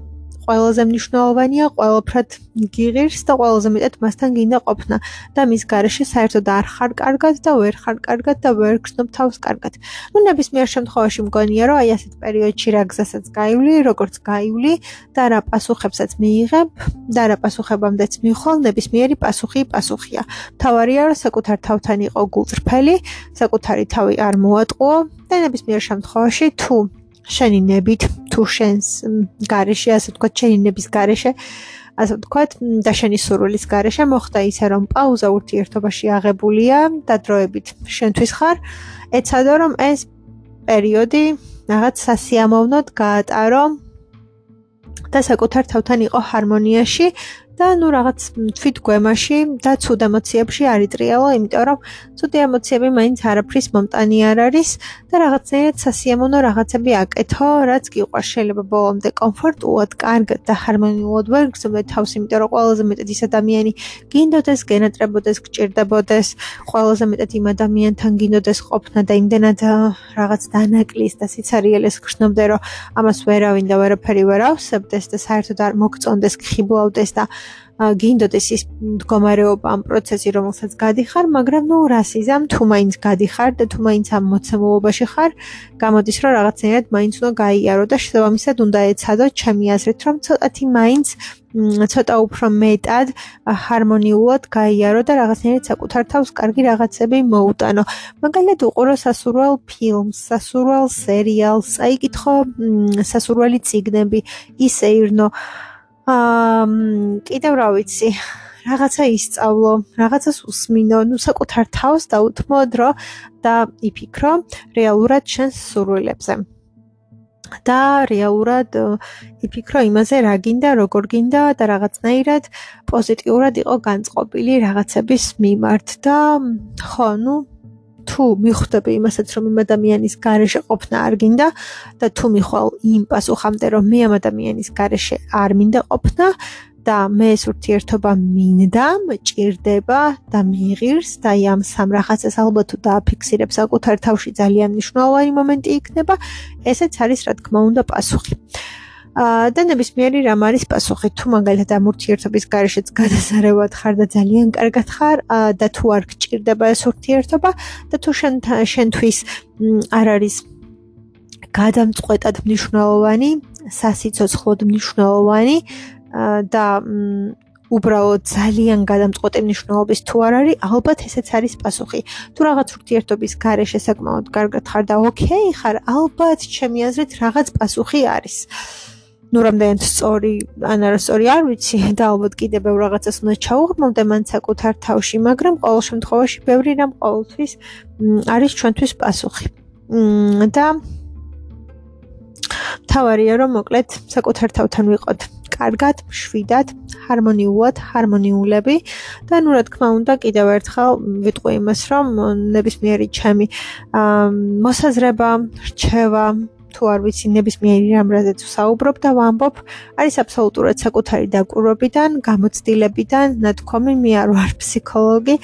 ყველაზე მნიშვნელოვანია, ყველაფრად გიღირს და ყველაზე მეტად მასთან გინდა ყოფნა და მის გარეშე საერთოდ არ ხარ კარგად და ვერ ხარ კარგად და ვერ გრძნობ თავს კარგად. ნებისმიერ შემთხვევაში მგონია, რომ აი ასეთ პერიოდში რა გზასაც გაივლი, როგორც გაივლი და რა პასუხებსაც მიიღებ და რა პასუხებამდეც მიხვალ, ნებისმიერი პასუხია. მთავარია, რომ საკუთარ თავთან იყო გულწრფელი, საკუთარი თავი არ მოატყუო და ნებისმიერ შემთხვევაში თუ შენი ნებით, თუ შენს გარეშე, ასე ვთქვათ, შენი ნების გარეშე, ასე ვთქვათ, და შენი სურვილის გარეშე მოხდა ისე, რომ პაუზა ურთიერთობაში აღებულია და დროებით შენთვის ხარ, ეცადო, რომ ეს პერიოდი რაღაც სასიამოვნოდ გაატარო და საკუთარ თავთან იყო ჰარმონიაში და რაღაც თვითგვემაში და ცუდ ემოციებში არ იტრიალო, იმიტომ რომ ცუდი ემოციები მაინც არაფრის მომტანი არ არის და რაღაცნაირად სასიამოვნო რაღაცები აკეთო, რაც გიყვარს. შეიძლება ბოლომდე კომფორტულად, კარგად და ჰარმონიულად ვერ გრძნობდე თავს, იმიტომ რომ ყველაზე მეტად ის ადამიანი გინდოდეს, გენატრებოდეს, გჭირდებოდეს, ყველაზე მეტად იმ ადამიანთან გინდოდეს ყოფნა და იმდენად რაღაც დანაკლის და სიცარიელეს გრძნობდე, რომ ამას ვერავინ და ვერაფერი ვერ ავსებდეს და საერთოდ არ მოგწონდეს, გხიბლავდეს და გინდოდეს ის მდგომარეობა ამ პროცესი, რომელსაც გადიხარ, მაგრამ რას იზამ, თუ მაინც გადიხარ და თუ მაინც ამ მოცემულობაში ხარ, გამოდის, რომ რაღაცნაირად მაინც უნდა გაიარო და შესაბამისად უნდა ეცადო, ჩემი აზრით, რომ ცოტათი მაინც ცოტა უფრო მეტად ჰარმონიულად გაიარო და რაღაცნაირად საკუთარ თავს კარგი რაღაცები მოუტანო. მაგალითად უყურო სასურველ ფილმს, სასურველ სერიალს, წაიკითხო სასურველი წიგნები, ისეირნო კიდევ რა ვიცი, რაღაცა ისწავლო, რაღაცას უსმინო, საკუთარ თავს დაუთმო დრო და იფიქრო რეალურად შენს სურვილებზე. და რეალურად იფიქრო იმაზე, რა გინდა, როგორ გინდა და რაღაცნაირად პოზიტიურად იყო განწყობილი რაღაცების მიმართ და ხო, თუ მიხვდები იმასაც, რომ იმ ადამიანის გარეშე ყოფნა არ გინდა და თუ მიხვალ იმ პასუხამდე, რომ მე ამ ადამიანის გარეშე არ მინდა ყოფნა და მე ეს ურთიერთობა მინდა, მჭირდება და მიიღირს და ამ სამ რაღაცას ალბათ თუ დააფიქსირებ საკუთარ თავში ძალიან მნიშვნელოვანი მომენტი იქნება, ესეც არის რა თქმა უნდა პასუხი. და ნებისმიერი რამ არის პასუხი, თუ მაგალითად ამ ურთიერთობის გარეშეც გადასარევად ხარ და ძალიან კარგად ხარ და თუ არ გჭირდება ეს ურთიერთობა და თუ შენთვის არ არის გადამწყვეტად მნიშვნელოვანი, სასიცოცხლოდ მნიშვნელოვანი და უბრალოდ ძალიან გადამწყვეტი მნიშვნელობის თუ არ არის, ალბათ ესეც არის პასუხი. თუ რაღაც ურთიერთობის გარეშე საკმაოდ კარგად ხარ და ოკეი ხარ, ალბათ ჩემი აზრით რაღაც პასუხი არის. რამდენად სწორი ან არასწორი არ ვიცი და ალბათ კიდევ ბევრ რაღაცას უნდა ჩაუღრმავდე მან საკუთარ თავში, მაგრამ ყოველ შემთხვევაში ბევრი რამ ყოველთვის არის ჩვენთვის პასუხი. და მთავარია, რომ მოკლედ საკუთარ თავთან ვიყოთ კარგად, მშვიდად, ჰარმონიულად, ჰარმონიულები და რა თქმა უნდა კიდევ ერთხელ ვიტყვი იმას, რომ ნებისმიერი ჩემი მოსაზრება, რჩევა თუ არ ვიცი ნებისმიერი რამ რაზეც ვსაუბრობ და ვამბობ, არის აბსოლუტურად საკუთარი დაკვირვებიდან, გამოცდილებიდან, ნათქვამი, მე არ ვარ ფსიქოლოგი,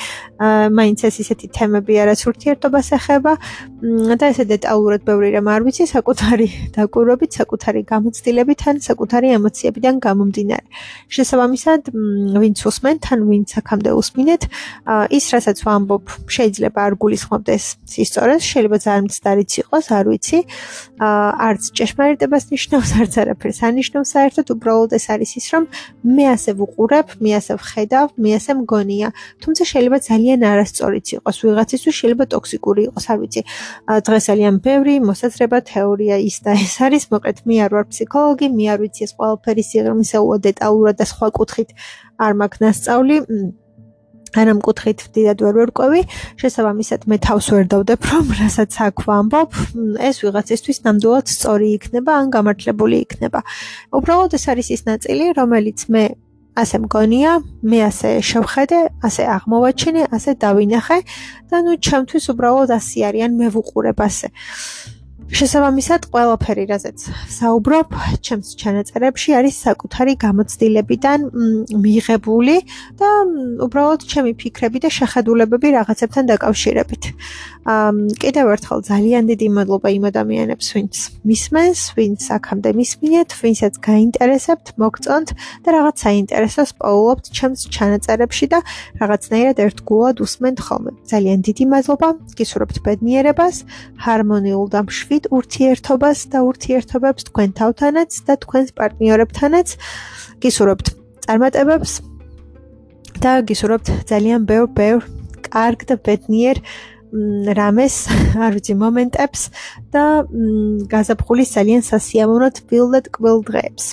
მაინც ეს ისეთი თემები არაც ურთიერთობას ეხება და ესე დეტალურად ბევრი რამ არ ვიცი, საკუთარი დაკვირვებით, საკუთარი გამოცდილებით ან საკუთარი ემოციებიდან გამომდინარე. შესაბამისად, ვინც უსმენთ, ან ვინც აქამდე უსმინეთ, ის რასაც ვამბობ, შეიძლება არ გულისხმობდეს სისწორეს, შეიძლება ძალიან მცდარიც იყოს, არ ვიცი. არც ჭეშმარიტებას ნიშნავს, არც არაფერს ანიშნავს საერთოდ, უბრალოდ ეს არის ის, რომ მე ასე ვუყურებ, მე ასე ვხედავ, მე ასე მგონია. თუმცა შეიძლება ძალიან არასწორიც იყოს, ვიღაცისთვის შეიძლება ტოქსიკური იყოს, არ ვიცი. დღეს ძალიან ბევრი მოსაზრება, თეორია ის და ეს არის, მოკლედ მე არ ვარ ფსიქოლოგი, მე არ ვიცი ეს ყველაფერი სიღრმისეულად დეტალურად და სხვა კუთხით არ მაქვს ნასწავლი. ან ამ კუთხით დიდად ვერ ვერკვევი, შესაბამისად მე თავს ვერ დავდებ, რომ რასაც აქ ვამბობ, ეს ვიღაცისთვის ნამდვილად სწორი იქნება, ან გამართლებული იქნება. უბრალოდ ეს არის ის ნაწილი, რომელიც მე ასე მგონია, მე ასე შევხედე, ასე აღმოვაჩინე, ასე დავინახე და ნუ ჩემთვის უბრალოდ ასე არის, ან მე ვუყურებ ასე. შესაბამისად, ყველაფერი, რაზეც ვსაუბრობ, ჩემს ჩანაწერებში არის საკუთარი გამოცდილებიდან მიიღებული და უბრალოდ ჩემი ფიქრები და შეხედულებები რაღაცებთან დაკავშირებით. კიდევ ერთხელ ძალიან დიდი მადლობა იმ ადამიანებს, ვინც მისმენს, ვინც აქამდე მისმინეთ, ვინცაც გაინტერესებთ, მოგწონთ და რაღაც საინტერესოს პოულობთ ჩემს ჩანაწერებში და რაღაცნაირად ერთგულად უსმენთ ხოლმე. ძალიან დიდი მადლობა, გისურვებთ ბედნიერებას, ჰარმონიულ და მშვიდ ურთიერთობას და ურთიერთობებს თქვენ თავთანაც და თქვენს პარტნიორებთანაც. გისურვებთ წარმატებებს და გისურვებთ ძალიან ბევრ კარგ და ბედნიერ რამეს, არ ვიცი, მომენტებს და გაზაფხულის ძალიან სასიამოვნო თბილ და ტკბილ დღეებს.